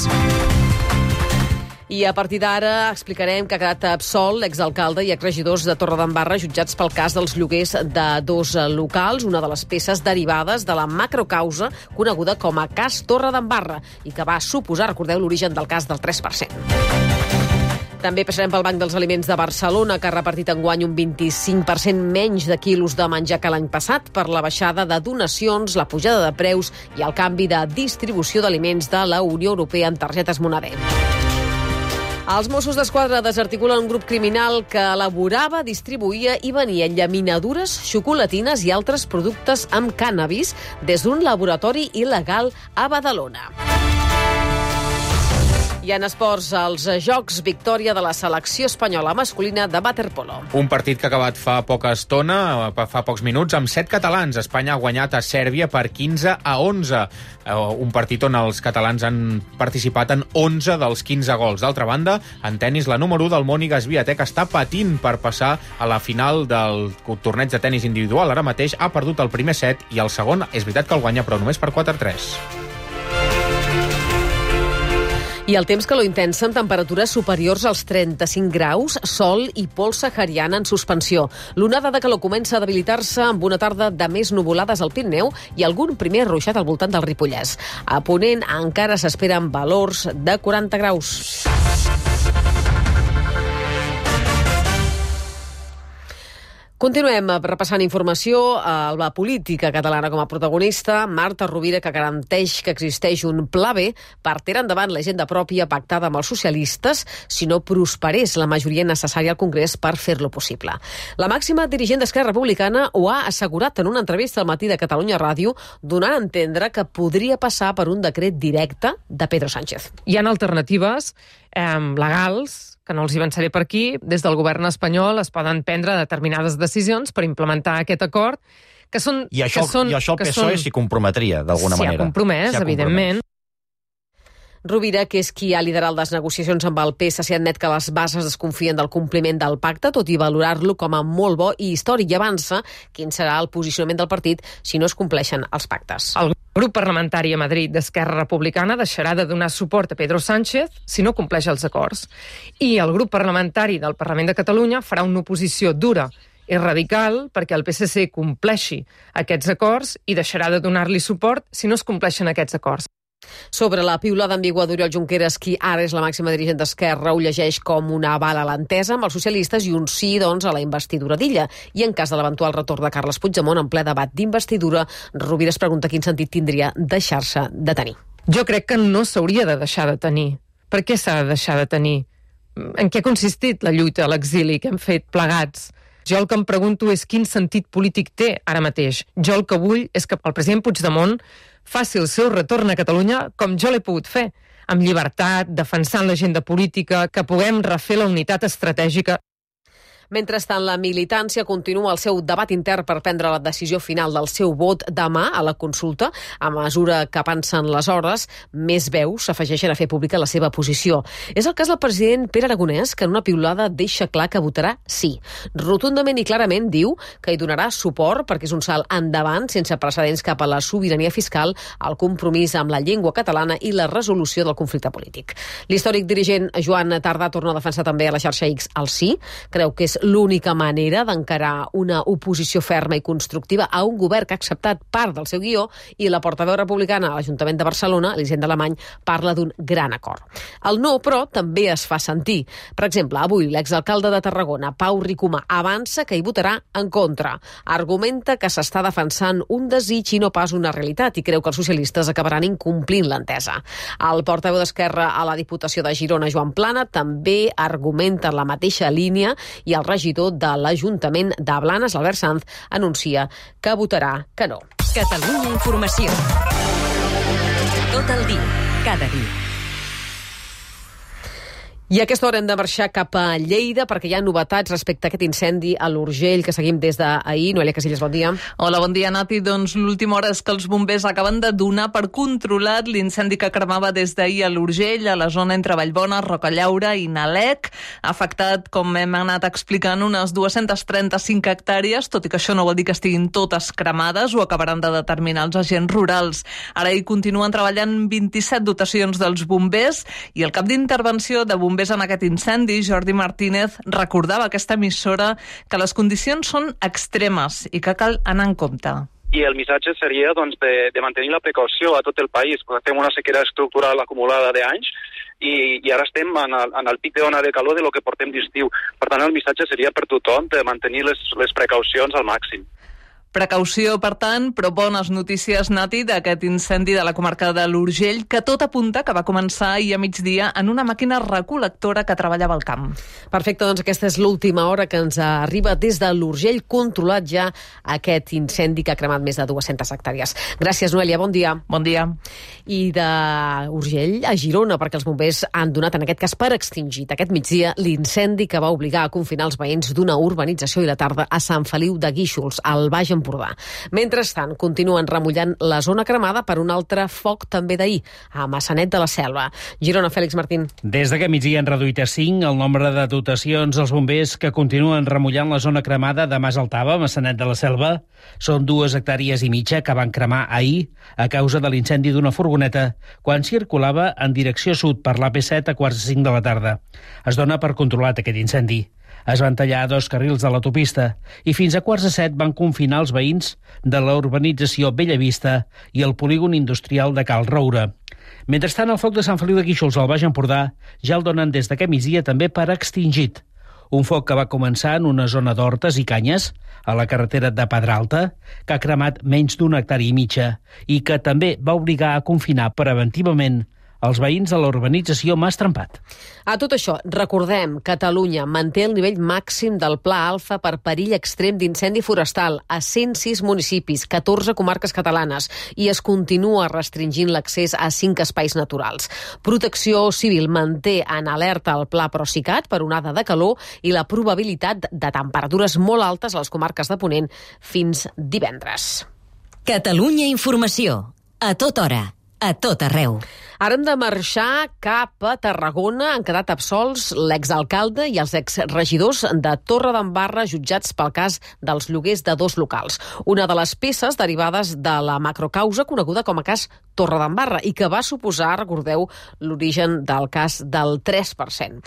S2: I a partir d'ara explicarem que ha quedat absolt l'exalcalde i exregidors de Torredembarra jutjats pel cas dels lloguers de dos locals, una de les peces derivades de la macrocausa coneguda com a cas Torredembarra i que va suposar, recordeu, l'origen del cas del tres per cent. També passarem pel Banc dels Aliments de Barcelona, que ha repartit enguany un vint-i-cinc per cent menys de quilos de menjar que l'any passat per la baixada de donacions, la pujada de preus i el canvi de distribució d'aliments de la Unió Europea en targetes Moneder. Els Mossos d'Esquadra desarticulen un grup criminal que elaborava, distribuïa i venia llaminadures, xocolatines i altres productes amb cànnabis des d'un laboratori il·legal a Badalona. I en esports, els Jocs victòria de la selecció espanyola masculina de waterpolo.
S3: Un partit que ha acabat fa poca estona, fa pocs minuts, amb set catalans. Espanya ha guanyat a Sèrbia per quinze a onze. Un partit on els catalans han participat en onze dels quinze gols. D'altra banda, en tenis, la número u del món, Iga Swiatek, està patint per passar a la final del torneig de tenis individual. Ara mateix ha perdut el primer set i el segon és veritat que el guanya, però només per quatre a tres.
S2: I el temps calor intensa amb temperatures superiors als trenta-cinc graus, sol i pols sahariana en suspensió. L'onada de calor comença a debilitar-se amb una tarda de més nuvolades al Pirineu i algun primer ruixat al voltant del Ripollès. A Ponent encara s'esperen valors de quaranta graus. Continuem repassant informació a la política catalana com a protagonista. Marta Rovira, que garanteix que existeix un pla B per tirar endavant l'agenda pròpia pactada amb els socialistes si no prosperés la majoria necessària al Congrés per fer-lo possible. La màxima dirigent d'Esquerra Republicana ho ha assegurat en una entrevista al Matí de Catalunya Ràdio, donant a entendre que podria passar per un decret directe de Pedro Sánchez.
S4: Hi ha alternatives eh, legals, que no els hi avançaré per aquí. Des del govern espanyol es poden prendre determinades decisions per implementar aquest acord, que són...
S19: I això,
S4: que són,
S19: i això el P S O E s'hi comprometria, d'alguna manera.
S4: S'hi ha compromès, evidentment.
S2: Rovira, que és qui ha liderat les negociacions amb el P S C, admet que les bases desconfien del compliment del pacte, tot i valorar-lo com a molt bo i històric, i avança quin serà el posicionament del partit si no es compleixen els pactes.
S4: El grup parlamentari a Madrid d'Esquerra Republicana deixarà de donar suport a Pedro Sánchez si no compleix els acords. I el grup parlamentari del Parlament de Catalunya farà una oposició dura i radical perquè el P S C compleixi aquests acords i deixarà de donar-li suport si no es compleixen aquests acords.
S2: Sobre la piulada ambigua d'Oriol Junqueras, qui ara és la màxima dirigent d'Esquerra, ho llegeix com una aval a l'entesa amb els socialistes i un sí, doncs, a la investidura d'Illa. I en cas de l'eventual retorn de Carles Puigdemont en ple debat d'investidura, Rovira es pregunta quin sentit tindria deixar-se detenir.
S4: Jo crec que no s'hauria de deixar de tenir. Per què s'ha de deixar de tenir? En què ha consistit la lluita a l'exili que hem fet plegats? Jo el que em pregunto és quin sentit polític té ara mateix. Jo el que vull és que el president Puigdemont faci el seu retorn a Catalunya com jo l'he pogut fer, amb llibertat, defensant l'agenda política, que puguem refer la unitat estratègica.
S2: Mentrestant, la militància continua el seu debat intern per prendre la decisió final del seu vot demà a la consulta. A mesura que avançen les hores, més veus s'afegeixen a fer pública la seva posició. És el cas del president Pere Aragonès, que en una piulada deixa clar que votarà sí. Rotundament i clarament diu que hi donarà suport perquè és un salt endavant sense precedents cap a la sobirania fiscal, el compromís amb la llengua catalana i la resolució del conflicte polític. L'històric dirigent Joan Tardà torna a defensar també a la xarxa X el sí. Creu que és l'única manera d'encarar una oposició ferma i constructiva a un govern que ha acceptat part del seu guió, i la portaveu republicana a l'Ajuntament de Barcelona, Elisenda Alemany, parla d'un gran acord. El no, però, també es fa sentir. Per exemple, avui l'exalcalde de Tarragona, Pau Ricomà, avança que hi votarà en contra. Argumenta que s'està defensant un desig i no pas una realitat i creu que els socialistes acabaran incomplint l'entesa. El portaveu d'Esquerra a la Diputació de Girona, Joan Plana, també argumenta la mateixa línia i el regidor de l'Ajuntament de Blanes, Albert Sanz, anuncia que votarà que no.
S1: Catalunya Informació. Tot el dia, cada dia.
S2: I a aquesta hora hem de marxar cap a Lleida perquè hi ha novetats respecte a aquest incendi a l'Urgell que seguim des d'ahir. Noelia Casillas, bon dia.
S5: Hola, bon dia, Nati. Doncs l'última hora és que els bombers acaben de donar per controlat l'incendi que cremava des d'ahir a l'Urgell, a la zona entre Vallbona, Rocallaura i Nalec. Ha afectat, com hem anat explicant, unes dues-centes trenta-cinc hectàrees, tot i que això no vol dir que estiguin totes cremades, ho acabaran de determinar els agents rurals. Ara hi continuen treballant vint-i-set dotacions dels bombers i el cap d'intervenció de bombers en aquest incendi, Jordi Martínez, recordava a aquesta emissora que les condicions són extremes i que cal anar en compte.
S6: I el missatge seria doncs, de, de mantenir la precaució a tot el país, perquè fem una sequera estructural acumulada d'anys i, i ara estem en el, en el pic d'ona de calor de lo que portem d'estiu. Per tant, el missatge seria per tothom de mantenir les, les precaucions al màxim.
S5: Precaució, per tant, però bones notícies, Nati, d'aquest incendi de la comarca de l'Urgell, que tot apunta que va començar ahir a migdia en una màquina recol·lectora que treballava al camp.
S2: Perfecte, doncs aquesta és l'última hora que ens arriba des de l'Urgell, controlat ja aquest incendi que ha cremat més de dues-centes hectàrees. Gràcies, Noelia, bon dia.
S5: Bon dia.
S2: I d'Urgell a Girona, perquè els bombers han donat, en aquest cas per extingit, aquest migdia, l'incendi que va obligar a confinar els veïns d'una urbanització i la tarda a Sant Feliu de Guíxols, al Baix Empordà. Mentrestant, continuen remullant la zona cremada per un altre foc també d'ahir, a Massanet de la Selva. Girona, Fèlix Martín.
S7: Des d'aquest migdia han reduït a cinc el nombre de dotacions als bombers que continuen remullant la zona cremada de Mas Altava, Massanet de la Selva. Són dues hectàrees i mitja que van cremar ahir a causa de l'incendi d'una furgoneta quan circulava en direcció sud per l'A P set a quarts de cinc de la tarda. Es dona per controlat aquest incendi. Es van tallar dos carrils de l'autopista i fins a quarts de set van confinar els veïns de la urbanització Bellavista i el polígon industrial de Cal Roure. Mentrestant, el foc de Sant Feliu de Guíxols al Baix Empordà ja el donen des d'aquest migdia també per extingit. Un foc que va començar en una zona d'hortes i canyes, a la carretera de Pedralta, que ha cremat menys d'una hectàrea i mitja i que també va obligar a confinar preventivament els veïns de la urbanització Mas Trempat.
S2: A tot això, recordem, Catalunya manté el nivell màxim del Pla Alfa per perill extrem d'incendi forestal a cent sis municipis, catorze comarques catalanes, i es continua restringint l'accés a cinc espais naturals. Protecció Civil manté en alerta el Pla Procicat per onada de calor i la probabilitat de temperatures molt altes a les comarques de Ponent fins divendres.
S1: Catalunya Informació. A tota hora. A tot arreu.
S2: Ara hem de marxar cap a Tarragona. Han quedat absolts l'exalcalde i els exregidors de Torredembarra jutjats pel cas dels lloguers de dos locals. Una de les peces derivades de la macrocausa coneguda com a cas Torredembarra i que va suposar, recordeu, l'origen del cas del tres per cent.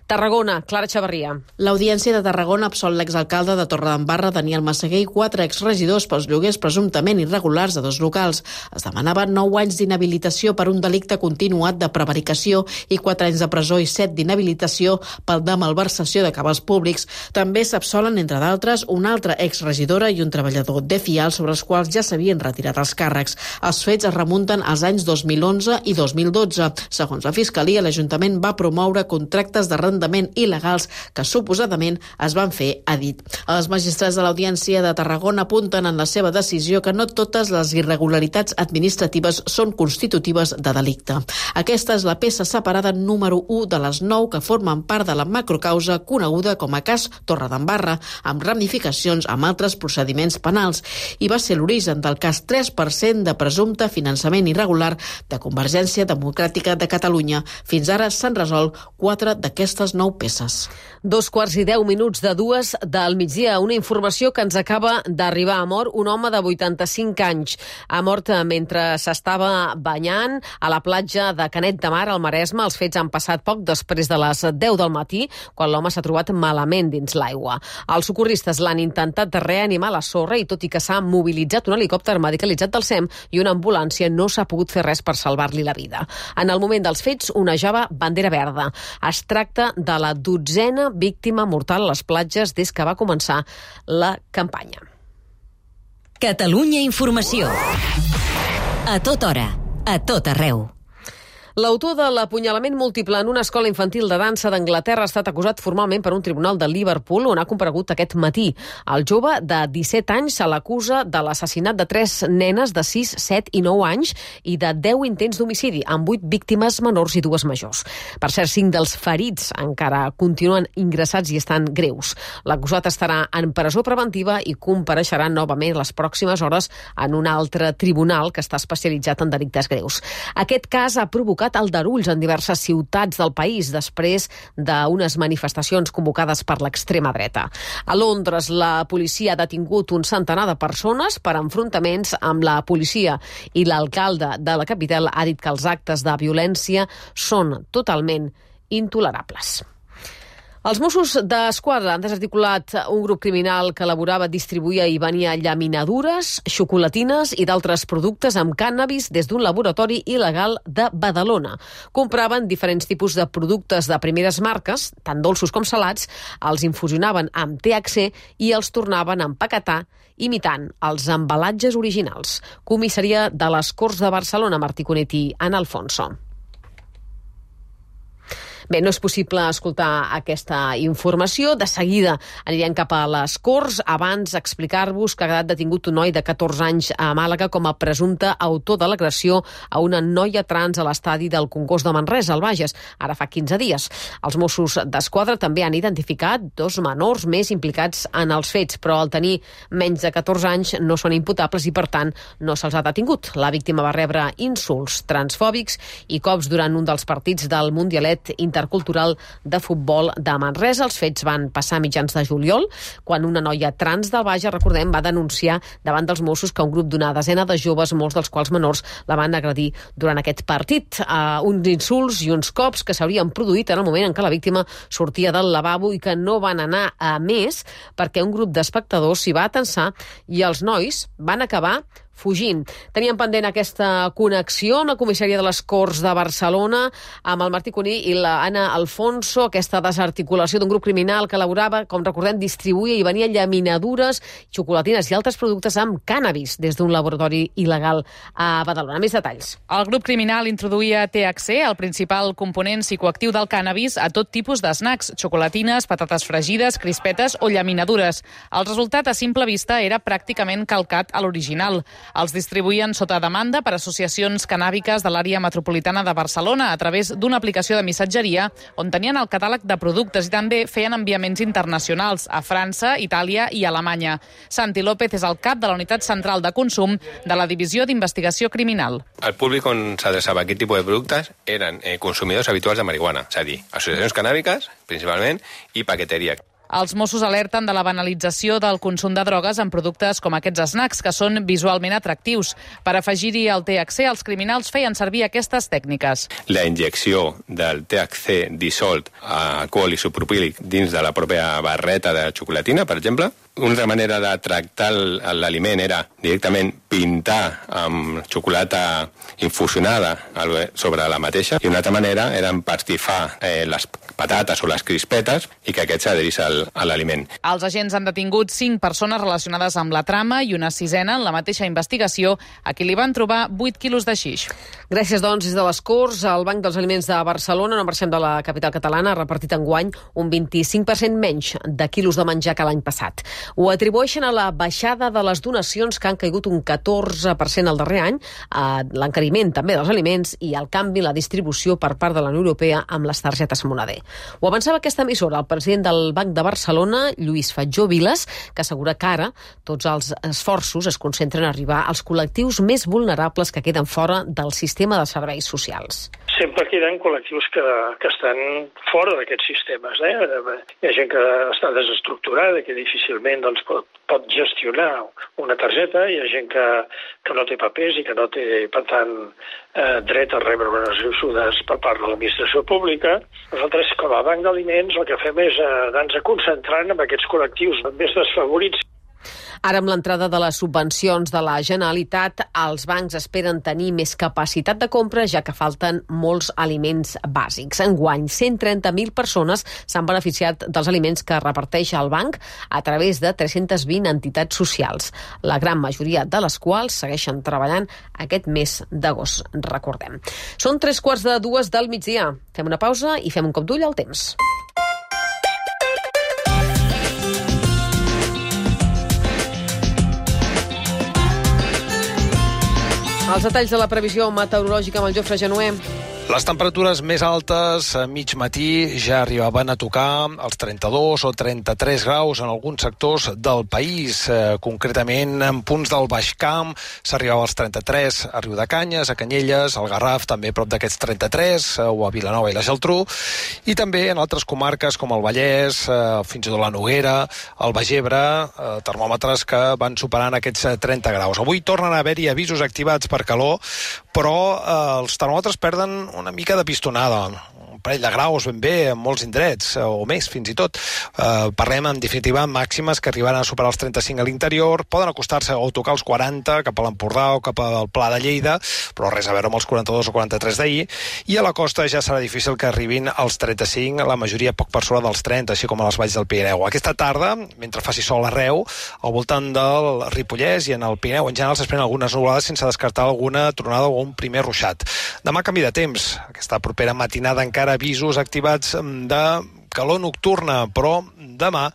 S2: Tarragona, Clara Xavarria.
S20: L'Audiència de Tarragona absolt l'exalcalde de Torredembarra, Daniel Massaguer, i quatre exregidors pels lloguers presumptament irregulars de dos locals. Es demanaven nou anys d'inhabilitació per un delicte continuat de prevaricació i quatre anys de presó i set d'inhabilitació pel de malversació de cabals públics. També s'absolen, entre d'altres, una altra exregidora i un treballador de Fial sobre els quals ja s'havien retirat els càrrecs. Els fets es remunten als anys dos mil onze i dos mil dotze. Segons la Fiscalia, l'Ajuntament va promoure contractes d'arrendament il·legals que suposadament es van fer a dit. Els magistrats de l'Audiència de Tarragona apunten en la seva decisió que no totes les irregularitats administratives són constitutives de delicte. Aquesta és la peça separada número u de les nou que formen part de la macrocausa coneguda com a cas Torredembarra, amb ramificacions amb altres procediments penals, i va ser l'origen del cas tres per cent de presumpte finançament irregular de Convergència Democràtica de Catalunya. Fins ara s'han resolt quatre d'aquestes nou peces.
S2: Dos quarts i deu minuts de dues del migdia. Una informació que ens acaba d'arribar. A mort un home de vuitanta-cinc anys. Ha mort mentre s'estava banyant a la platja platja de Canet de Mar, al Maresme. Els fets han passat poc després de les deu del matí, quan l'home s'ha trobat malament dins l'aigua. Els socorristes l'han intentat de reanimar a la sorra i tot i que s'ha mobilitzat un helicòpter medicalitzat del SEM i una ambulància, no s'ha pogut fer res per salvar-li la vida. En el moment dels fets, onejava bandera verda. Es tracta de la dotzena víctima mortal a les platges des que va començar la campanya.
S1: Catalunya Informació. A tota hora, a tot arreu.
S2: L'autor de l'apunyalament múltiple en una escola infantil de dansa d'Anglaterra ha estat acusat formalment per un tribunal de Liverpool, on ha comparegut aquest matí. El jove de disset anys se l'acusa de l'assassinat de tres nenes de sis, set i nou anys i de deu intents d'homicidi, amb vuit víctimes menors i dues majors. Per cert, cinc dels ferits encara continuen ingressats i estan greus. L'acusat estarà en presó preventiva i compareixerà novament les pròximes hores en un altre tribunal que està especialitzat en delictes greus. Aquest cas ha provocat aldarulls en diverses ciutats del país després d'unes manifestacions convocades per l'extrema dreta. A Londres, la policia ha detingut un centenar de persones per enfrontaments amb la policia i l'alcalde de la capital ha dit que els actes de violència són totalment intolerables. Els Mossos d'Esquadra han desarticulat un grup criminal que elaborava, distribuïa i venia llaminadures, xocolatines i d'altres productes amb cànnabis des d'un laboratori il·legal de Badalona. Compraven diferents tipus de productes de primeres marques, tant dolços com salats, els infusionaven amb T H C i els tornaven a empaquetar imitant els embalatges originals. Comissaria de les Corts de Barcelona, Martí Cunet i Ana Alfonso. Bé, no és possible escoltar aquesta informació. De seguida anirem cap a les Corts. Abans, explicar-vos que ha quedat detingut un noi de catorze anys a Màlaga com a presumpte autor de l'agressió a una noia trans a l'estadi del Congost de Manresa, al Bages, ara fa quinze dies. Els Mossos d'Esquadra també han identificat dos menors més implicats en els fets, però al tenir menys de catorze anys no són imputables i, per tant, no se'ls ha detingut. La víctima va rebre insults transfòbics i cops durant un dels partits del Mundialet Inter Cultural de futbol de Manresa. Els fets van passar a mitjans de juliol, quan una noia trans del Bages, recordem, va denunciar davant dels Mossos que un grup d'una desena de joves, molts dels quals menors, la van agredir durant aquest partit. Uh, uns insults i uns cops que s'haurien produït en el moment en què la víctima sortia del lavabo i que no van anar a més perquè un grup d'espectadors s'hi va atensar i els nois van acabar fugint. Teníem pendent aquesta connexió amb la comissaria de les Corts de Barcelona, amb el Martí Cuní i l'Anna Alfonso, aquesta desarticulació d'un grup criminal que elaborava, com recordem, distribuïa i venia llaminadures, xocolatines i altres productes amb cànnabis des d'un laboratori il·legal a Badalona. Més detalls.
S21: El grup criminal introduïa T H C, el principal component psicoactiu del cànnabis, a tot tipus d'snacks, xocolatines, patates fregides, crispetes o llaminadures. El resultat a simple vista era pràcticament calcat a l'original. Els distribuïen sota demanda per associacions cannàbiques de l'àrea metropolitana de Barcelona a través d'una aplicació de missatgeria on tenien el catàleg de productes i també feien enviaments internacionals a França, Itàlia i Alemanya. Santi López és el cap de la Unitat Central de Consum de la Divisió d'Investigació Criminal.
S22: El públic on s'adreçava aquest tipus de productes eren eh, consumidors habituals de marihuana, és a dir, associacions cannàbiques, principalment, i paqueteria.
S21: Els Mossos alerten de la banalització del consum de drogues en productes com aquests snacks, que són visualment atractius. Per afegir-hi el T H C, els criminals feien servir aquestes tècniques.
S22: La injecció del T H C dissolt a alcohol isopropílic dins de la pròpia barreta de xocolatina, per exemple. Una altra manera de tractar l'aliment era directament pintar amb xocolata infusionada sobre la mateixa, i una altra manera era empastifar eh, les patates o les crispetes i que aquest s'adherís a l'aliment.
S21: Els agents han detingut cinc persones relacionades amb la trama i una sisena en la mateixa investigació, a qui li van trobar vuit quilos de xix.
S2: Gràcies, doncs, des de les Corts. El Banc dels Aliments de Barcelona, no marxem de la capital catalana, ha repartit enguany un vint-i-cinc per cent menys de quilos de menjar que l'any passat. Ho atribueixen a la baixada de les donacions, que han caigut un catorze per cent el darrer any, a l'encariment també dels aliments i al canvi la distribució per part de la Unió Europea amb les targetes Moneder. Ho avançava aquesta emissora el president del Banc de Barcelona, Lluís Fatjó Vilas, que assegura que ara tots els esforços es concentren a arribar als col·lectius més vulnerables que queden fora del sistema de serveis socials.
S17: sempre queden col·lectius que, que estan fora d'aquests sistemes. Eh? Hi ha gent que està desestructurada, que difícilment doncs, pot, pot gestionar una targeta, hi ha gent que, que no té papers i que no té, per tant, eh, dret a rebre unes ajudes per part de l'administració pública. Nosaltres, com a banc d'aliments, el que fem és anar-nos concentrant en aquests col·lectius més desfavorits.
S2: Ara, amb l'entrada de les subvencions de la Generalitat, els bancs esperen tenir més capacitat de compra, ja que falten molts aliments bàsics. Enguany, cent trenta mil persones s'han beneficiat dels aliments que reparteix el banc a través de tres-centes vint entitats socials, la gran majoria de les quals segueixen treballant aquest mes d'agost, recordem. Són tres quarts de dues del migdia. Fem una pausa i fem un cop d'ull al temps. Els detalls de la previsió meteorològica amb el Jofre Genuer.
S14: Les temperatures més altes a mig matí ja arribaven a tocar els trenta-dos o trenta-tres graus en alguns sectors del país. Eh, concretament, en punts del Baix Camp s'arribava als trenta-tres a Riudecanyes, a Canyelles, al Garraf, també prop d'aquests trenta-tres, eh, o a Vilanova i la Geltrú, i també en altres comarques com el Vallès, eh, fins i tot la Noguera, el Baix Ebre, eh, termòmetres que van superant aquests trenta graus. Avui tornen a haver-hi avisos activats per calor, però eh, els termòmetres perden una mica de pistonada, un parell de graus ben bé en molts indrets, o més fins i tot. Eh, parlem en definitiva màximes que arribaran a superar els trenta-cinc a l'interior, poden acostar-se o tocar els quaranta cap a l'Empordà o cap al Pla de Lleida, però res a veure amb els quaranta-dos o quaranta-tres d'ahir, i a la costa ja serà difícil que arribin als trenta-cinc, la majoria poc per sobre dels trenta, així com a les valls del Pirineu. Aquesta tarda, mentre faci sol arreu, al voltant del Ripollès i en el Pirineu en general s'esperen algunes nuvolades sense descartar alguna tronada o un primer ruixat. Demà canvi de temps. Aquesta propera matinada encara avisos activats de calor nocturna, però demà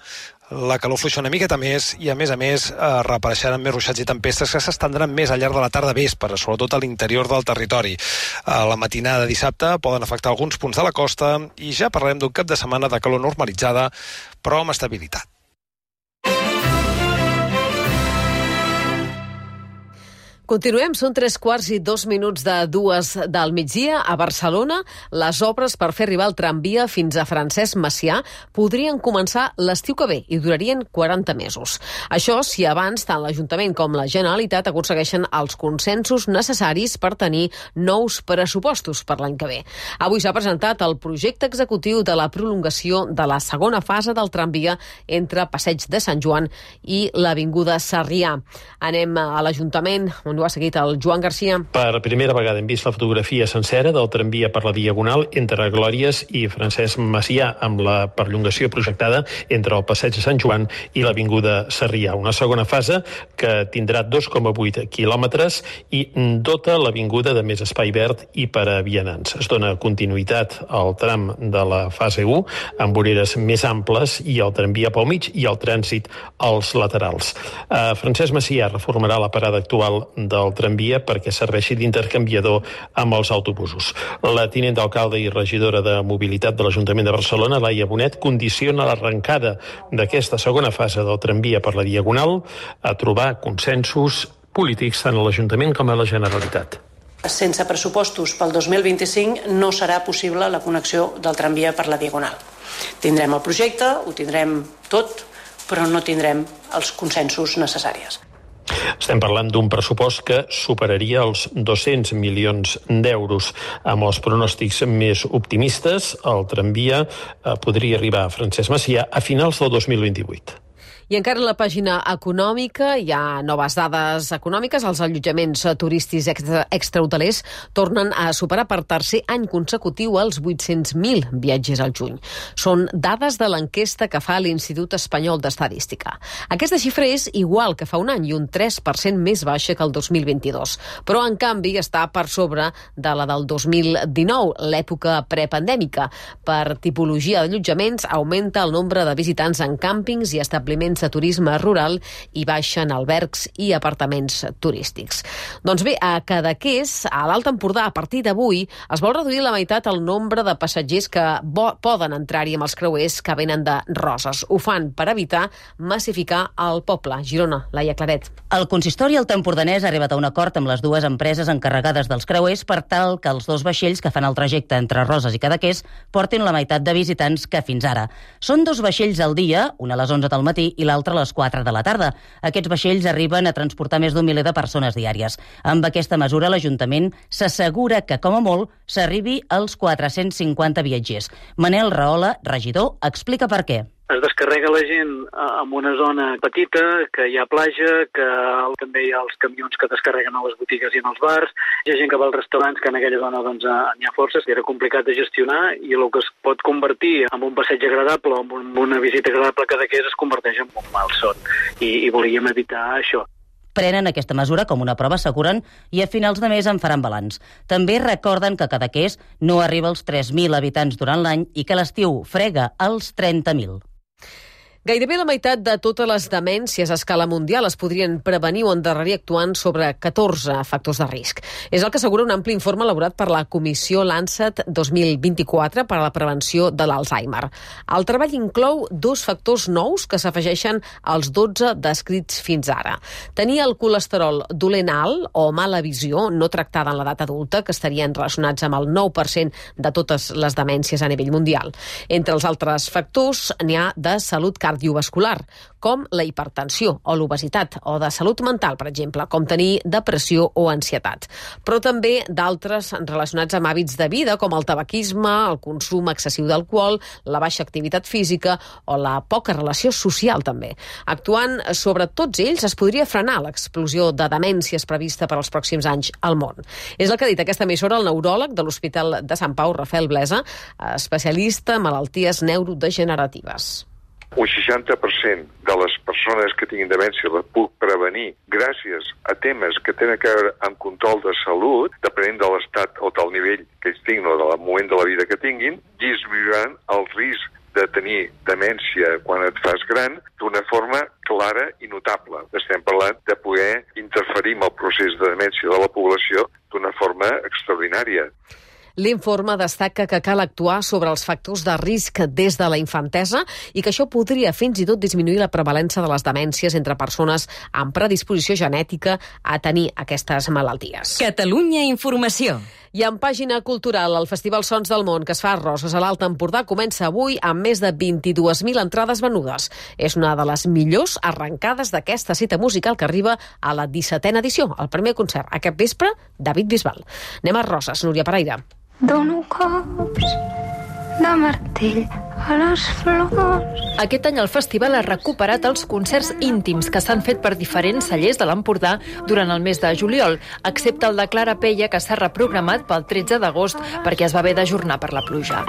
S14: la calor fluixa una miqueta més i, a més a més, eh, reapareixeran més ruixats i tempestes que s'estendran més al llarg de la tarda vespre, sobretot a l'interior del territori. A la matinada de dissabte poden afectar alguns punts de la costa i ja parlarem d'un cap de setmana de calor normalitzada, però amb estabilitat.
S2: Continuem, són tres quarts i dos minuts de dues del migdia. A Barcelona, les obres per fer arribar el tramvia fins a Francesc Macià podrien començar l'estiu que ve i durarien quaranta mesos. Això si abans tant l'Ajuntament com la Generalitat aconsegueixen els consensos necessaris per tenir nous pressupostos per l'any que ve. Avui s'ha presentat el projecte executiu de la prolongació de la segona fase del tramvia entre Passeig de Sant Joan i l'Avinguda Sarrià. Anem a l'Ajuntament, on ho ha seguit el Joan Garcia.
S8: Per primera vegada hem vist la fotografia sencera del tramvia per la Diagonal entre Glòries i Francesc Macià, amb la perllongació projectada entre el Passeig de Sant Joan i l'Avinguda Sarrià. Una segona fase que tindrà dos coma vuit quilòmetres i dota l'avinguda de més espai verd i per a vianants. Es dona continuïtat al tram de la fase u amb voreres més amples i el tramvia pel mig i el trànsit als laterals. Eh, Francesc Macià reformarà la parada actual del tramvia perquè serveixi d'intercanviador amb els autobusos. La tinent d'alcalde i regidora de Mobilitat de l'Ajuntament de Barcelona, Laia Bonet, condiciona l'arrencada d'aquesta segona fase del tramvia per la Diagonal a trobar consensos polítics tant a l'Ajuntament com a la Generalitat.
S9: Sense pressupostos pel dos mil vint-i-cinc no serà possible la connexió del tramvia per la Diagonal. Tindrem el projecte, ho tindrem tot, però no tindrem els consensos necessaris.
S8: Estem parlant d'un pressupost que superaria els dos-cents milions d'euros. Amb els pronòstics més optimistes, el tramvia podria arribar a Francesc Macià a finals del dos mil vint-i-vuit.
S2: I encara en la pàgina econòmica hi ha noves dades econòmiques. Els allotjaments turístics extra, extrahotelers tornen a superar per tercer any consecutiu els vuit-cents mil viatgers al juny. Són dades de l'enquesta que fa l'Institut Espanyol d'Estadística. Aquesta xifra és igual que fa un any i un tres per cent més baixa que el dos mil vint-i-dos, però en canvi està per sobre de la del dos mil dinou, l'època prepandèmica. Per tipologia d'allotjaments augmenta el nombre de visitants en càmpings i establiments sense turisme rural i baixen albergs i apartaments turístics. Doncs bé, a Cadaqués, a l'Alt Empordà, a partir d'avui, es vol reduir la meitat el nombre de passatgers que poden entrar-hi amb els creuers que venen de Roses. Ho fan per evitar massificar el poble. Girona, Laia Claret.
S11: El consistori altempordanès ha arribat a un acord amb les dues empreses encarregades dels creuers per tal que els dos vaixells que fan el trajecte entre Roses i Cadaqués portin la meitat de visitants que fins ara. Són dos vaixells al dia, un a les onze del matí i l'altre a les quatre de la tarda. Aquests vaixells arriben a transportar més d'un miler de persones diàries. Amb aquesta mesura, l'Ajuntament s'assegura que, com a molt, s'arribi als quatre-cents cinquanta viatgers. Manel Rahola, regidor, explica per què.
S12: Es descarrega la gent en una zona petita, que hi ha platja, que també hi ha els camions que descarreguen a les botigues i en els bars, hi ha gent que va als restaurants, que en aquella zona doncs, n'hi ha forces, era complicat de gestionar, i el que es pot convertir en un passeig agradable o en una visita agradable a Cadaqués es converteix en un malson, i, i volíem evitar això.
S11: Prenen aquesta mesura com una prova, asseguren, i a finals de mes en faran balanç. També recorden que Cadaqués no arriba als tres mil habitants durant l'any i que l'estiu frega als trenta mil.
S2: Gairebé la meitat de totes les demències a escala mundial es podrien prevenir o endarrerir actuant sobre catorze factors de risc. És el que assegura un ampli informe elaborat per la Comissió Lancet dos mil vint-i-quatre per a la prevenció de l'Alzheimer. El treball inclou dos factors nous que s'afegeixen als dotze descrits fins ara. Tenir el colesterol dolent alt o mala visió no tractada en l'edat adulta, que estarien relacionats amb el nou per cent de totes les demències a nivell mundial. Entre els altres factors n'hi ha de salut cardiovascular, cardiovascular, com la hipertensió o l'obesitat, o de salut mental, per exemple, com tenir depressió o ansietat. Però també d'altres relacionats amb hàbits de vida, com el tabaquisme, el consum excessiu d'alcohol, la baixa activitat física o la poca relació social, també. Actuant sobre tots ells es podria frenar l'explosió de demències prevista per als pròxims anys al món. És el que ha dit aquesta emissora el neuròleg de l'Hospital de Sant Pau, Rafael Blesa, especialista en malalties neurodegeneratives.
S23: Un seixanta per cent de les persones que tinguin demència la puc prevenir gràcies a temes que tenen a veure amb control de salut, depenent de l'estat o del nivell que ells tinguin o del moment de la vida que tinguin, disminuiran el risc de tenir demència quan et fas gran d'una forma clara i notable. Estem parlant de poder interferir amb el procés de demència de la població d'una forma extraordinària.
S2: L'informe destaca que cal actuar sobre els factors de risc des de la infantesa i que això podria fins i tot disminuir la prevalença de les demències entre persones amb predisposició genètica a tenir aquestes malalties.
S1: Catalunya Informació.
S2: I en pàgina cultural, el Festival Sons del Món, que es fa a Roses, a l'Alt Empordà, comença avui amb més de vint-i-dues mil entrades venudes. És una de les millors arrencades d'aquesta cita musical que arriba a la dissetena edició. El primer concert, aquest vespre, David Bisbal. Anem a Roses, Núria Pereira.
S24: Dono cops de martell a les flors.
S25: Aquest any el festival ha recuperat els concerts íntims que s'han fet per diferents cellers de l'Empordà durant el mes de juliol, excepte el de Clara Pella, que s'ha reprogramat pel tretze d'agost perquè es va haver d'ajornar per la pluja.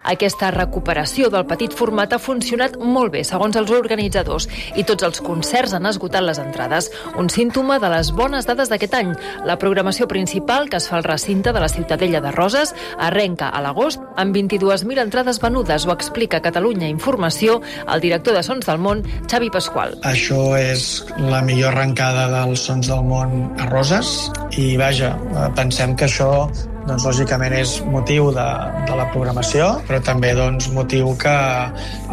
S25: Aquesta recuperació del petit format ha funcionat molt bé, segons els organitzadors, i tots els concerts han esgotat les entrades. Un símptoma de les bones dades d'aquest any. La programació principal, que es fa al recinte de la Ciutadella de Roses, arrenca a l'agost amb vint-i-dues mil entrades venudes, ho explica Catalunya Informació el director de Sons del Món, Xavi Pasqual.
S26: Això és la millor arrencada dels Sons del Món a Roses i, vaja, pensem que això doncs, lògicament és motiu de, de la programació, però també doncs, motiu que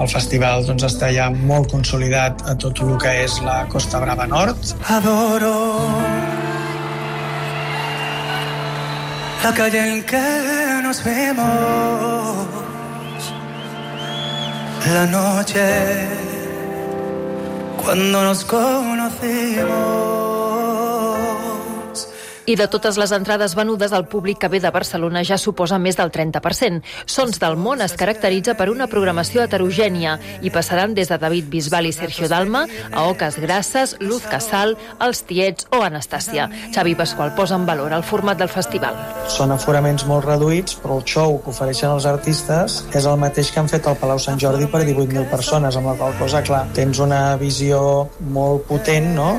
S26: el festival doncs, està ja molt consolidat a tot el que és la Costa Brava Nord.
S27: Adoro la calle en que nos vemos, la noche cuando nos conocimos.
S25: I de totes les entrades venudes, el públic que ve de Barcelona ja suposa més del trenta per cent. Sons del Món es caracteritza per una programació heterogènia i passaran des de David Bisbal i Sergio Dalma a Oques Grasses, Luz Casal, Els Tiets o Anastàcia. Xavi Pasqual posa en valor el format del festival.
S26: Són aforaments molt reduïts, però el show que ofereixen els artistes és el mateix que han fet al Palau Sant Jordi per divuit mil persones, amb la qual cosa, clar, tens una visió molt potent, no?,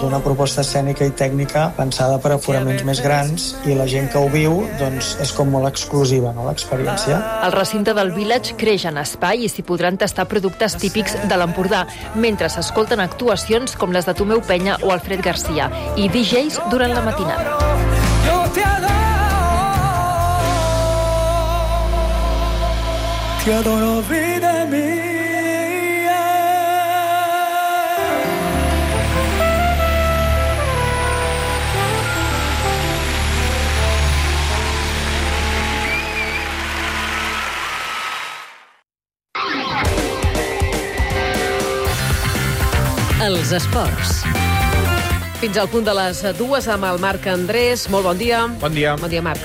S26: d'una proposta escènica i tècnica pensada per aforaments més grans i la gent que ho viu doncs, és com molt exclusiva, no, l'experiència.
S25: El recinte del Village creix en espai i s'hi podran tastar productes típics de l'Empordà, mentre s'escolten actuacions com les de Tomeu Penya o Alfred Garcia i D Js durant la matinada.
S27: Te adoro, vida mía.
S1: Els esports.
S2: Fins al punt de les dues amb el Marc Andrés. Molt bon dia.
S3: Bon dia.
S2: Bon dia, Marc.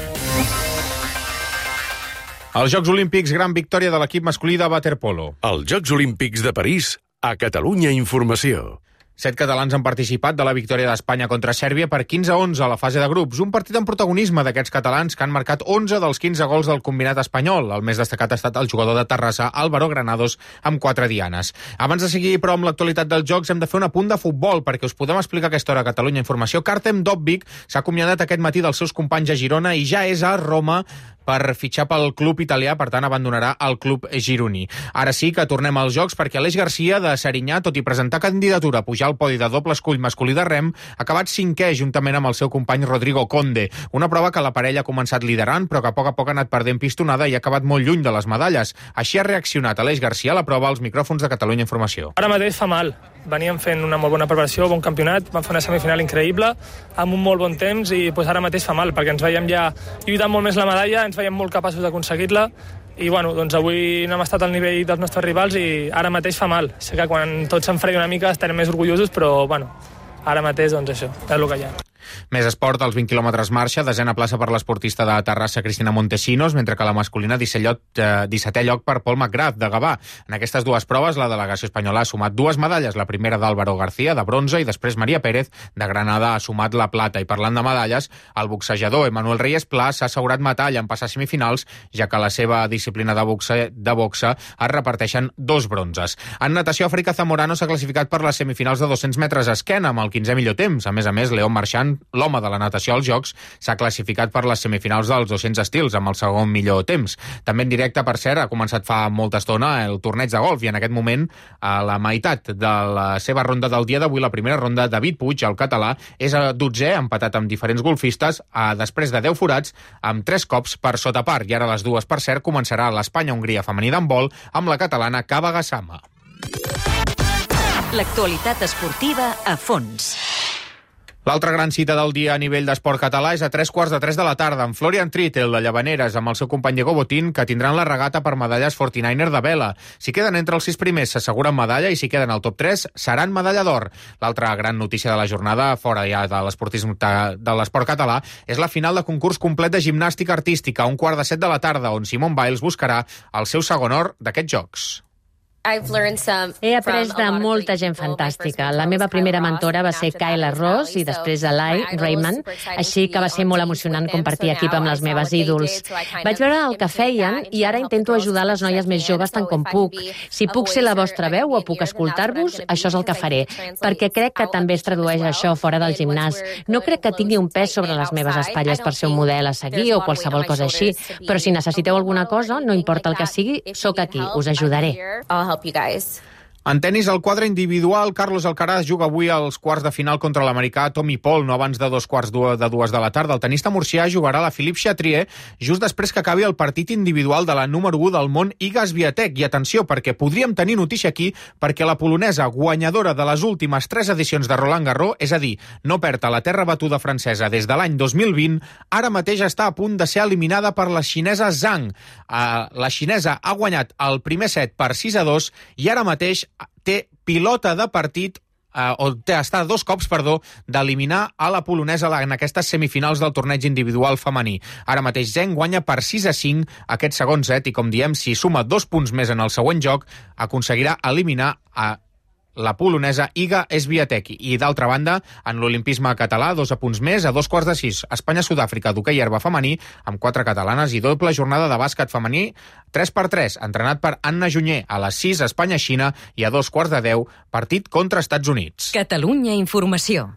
S3: Als Jocs Olímpics, gran victòria de l'equip masculí de waterpolo.
S10: Els Jocs Olímpics de París, a Catalunya Informació.
S3: Set catalans han participat de la victòria d'Espanya contra Sèrbia per quinze a onze a la fase de grups. Un partit amb protagonisme d'aquests catalans que han marcat onze dels quinze gols del combinat espanyol. El més destacat ha estat el jugador de Terrassa, Álvaro Granados, amb quatre dianes. Abans de seguir, però, amb l'actualitat dels Jocs, hem de fer un apunt de futbol perquè us podem explicar aquesta hora a Catalunya Informació. Artem Dovbyk s'ha acomiadat aquest matí dels seus companys a Girona i ja és a Roma per fitxar pel club italià, per tant abandonarà el club gironí. Ara sí que tornem als Jocs perquè Aleix Garcia de Serinyà, tot i presentar candidatura a pujar al podi de doble escull masculí de rem, ha acabat cinquè juntament amb el seu company Rodrigo Conde. Una prova que la parella ha començat liderant, però que a poc a poc ha anat perdent pistonada i ha acabat molt lluny de les medalles. Així ha reaccionat Aleix Garcia a la prova als micròfons de Catalunya Informació.
S13: Ara mateix fa mal. Veníem fent una molt bona preparació, bon campionat, vam fer una semifinal increïble, amb un molt bon temps i pues, ara mateix fa mal, perquè ens veiem ja lluitant molt més la medalla, ens veiem molt capaços d'aconseguir-la i bueno, doncs avui no hem estat al nivell dels nostres rivals i ara mateix fa mal. Sé que quan tot s'enfredi una mica estarem més orgullosos, però bueno, ara mateix doncs això, és el que hi ha.
S3: Més esport, als vint quilòmetres marxa, desena plaça per l'esportista de Terrassa Cristina Montesinos, mentre que la masculina dissetè lloc per Paul McGrath de Gavà. En aquestes dues proves, la delegació espanyola ha sumat dues medalles, la primera d'Álvaro García, de bronze, i després Maria Pérez, de Granada, ha sumat la plata. I parlant de medalles, el boxejador Emanuel Reyes Pla s'ha assegurat metall en passar semifinals, ja que la seva disciplina de boxe, de boxe es reparteixen dos bronzes. En natació, Àfrica Zamorano s'ha classificat per les semifinals de dos-cents metres a esquena, amb el quinzè millor temps. A més a més, León Marchand, l'home de la natació als Jocs, s'ha classificat per les semifinals dels dos-cents estils, amb el segon millor temps. També en directe, per cert, ha començat fa molta estona el torneig de golf i en aquest moment, a la meitat de la seva ronda del dia d'avui, la primera ronda, David Puig, el català, és a dotzè, empatat amb diferents golfistes, a, després de deu forats, amb tres cops per sota par. I ara les dues, per cert, començarà l'Espanya-Hongria femení d'handbol amb la catalana Cava Gassama.
S1: L'actualitat esportiva a fons.
S3: L'altra gran cita del dia a nivell d'esport català és a tres quarts de tres de la tarda amb Florian Trittel de Llavaneres amb el seu company Diego Botín, que tindran la regata per medalles quaranta-niner de vela. Si queden entre els sis primers s'asseguren medalla i si queden al top tres seran medalla d'or. L'altra gran notícia de la jornada, fora ja de l'esportisme de l'esport català, és la final de concurs complet de gimnàstica artística a un quart de set de la tarda, on Simone Biles buscarà el seu segon or d'aquests Jocs.
S15: He après de molta gent fantàstica. La meva primera mentora va ser Kayla Ross i després Eli Raymond, així que va ser molt emocionant compartir equip amb les meves ídols. Vaig veure el que feien i ara intento ajudar les noies més joves tant com puc. Si puc ser la vostra veu o puc escoltar-vos, això és el que faré, perquè crec que també es tradueix això fora del gimnàs. No crec que tingui un pes sobre les meves espatlles per ser un model a seguir o qualsevol cosa així, però si necessiteu alguna cosa, no importa el que sigui, sóc aquí, us ajudaré. You guys.
S3: En tenis, al quadre individual, Carlos Alcaraz juga avui als quarts de final contra l'americà Tommy Paul, no abans de dos quarts de dues de la tarda. El tenista murcià jugarà la Philippe Chatrier just després que acabi el partit individual de la número u del món, Iga Swiatek. I atenció, perquè podríem tenir notícia aquí, perquè la polonesa, guanyadora de les últimes tres edicions de Roland Garros, és a dir, no perd a la terra batuda francesa des de l'any dos mil vint, ara mateix està a punt de ser eliminada per la xinesa Zhang. Uh, la xinesa ha guanyat el primer set per sis a dos i ara mateix té pilota de partit, eh, o té, està a dos cops, perdó, d'eliminar a la polonesa en aquestes semifinals del torneig individual femení. Ara mateix Zheng guanya per sis a cinc aquest segon set i, com diem, si suma dos punts més en el següent joc, aconseguirà eliminar a la polonesa Iga Swiatek. I d'altra banda, en l'olimpisme català, dos apunts més, a dos quarts de sis. Espanya-Sud-àfrica d'hoquei herba femení, amb quatre catalanes i doble jornada de bàsquet femení, tres per tres, entrenat per Anna Junyer. A les sis, Espanya-Xina, i a dos quarts de deu, partit contra Estats Units.
S1: Catalunya Informació.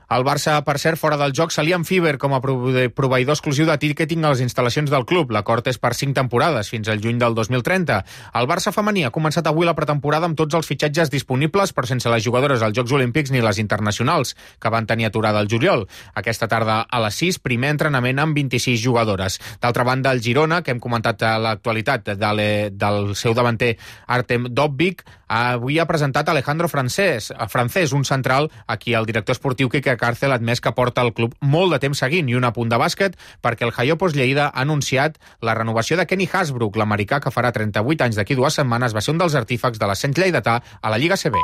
S3: El Barça, per cert, fora del joc, s'alia amb Fiverr com a proveïdor exclusiu de ticketing a les instal·lacions del club. L'acord és per cinc temporades, fins al juny del dos mil trenta. El Barça femení ha començat avui la pretemporada amb tots els fitxatges disponibles, però sense les jugadores als Jocs Olímpics ni les internacionals, que van tenir aturada al juliol. Aquesta tarda a les sis, primer entrenament amb vint-i-sis jugadores. D'altra banda, el Girona, que hem comentat a l'actualitat de del seu davanter Artem Dovbyk, avui ha presentat Alejandro Francés, francès, un central a qui el director esportiu Quique Cárcel ha admès que porta el club molt de temps seguint, i un apunt de bàsquet perquè el Jaiopos Lleida ha anunciat la renovació de Kenny Hasbrook, l'americà que farà trenta-vuit anys d'aquí dues setmanes, va ser un dels artífecs de l'ascens lleidatà a la Lliga A C B.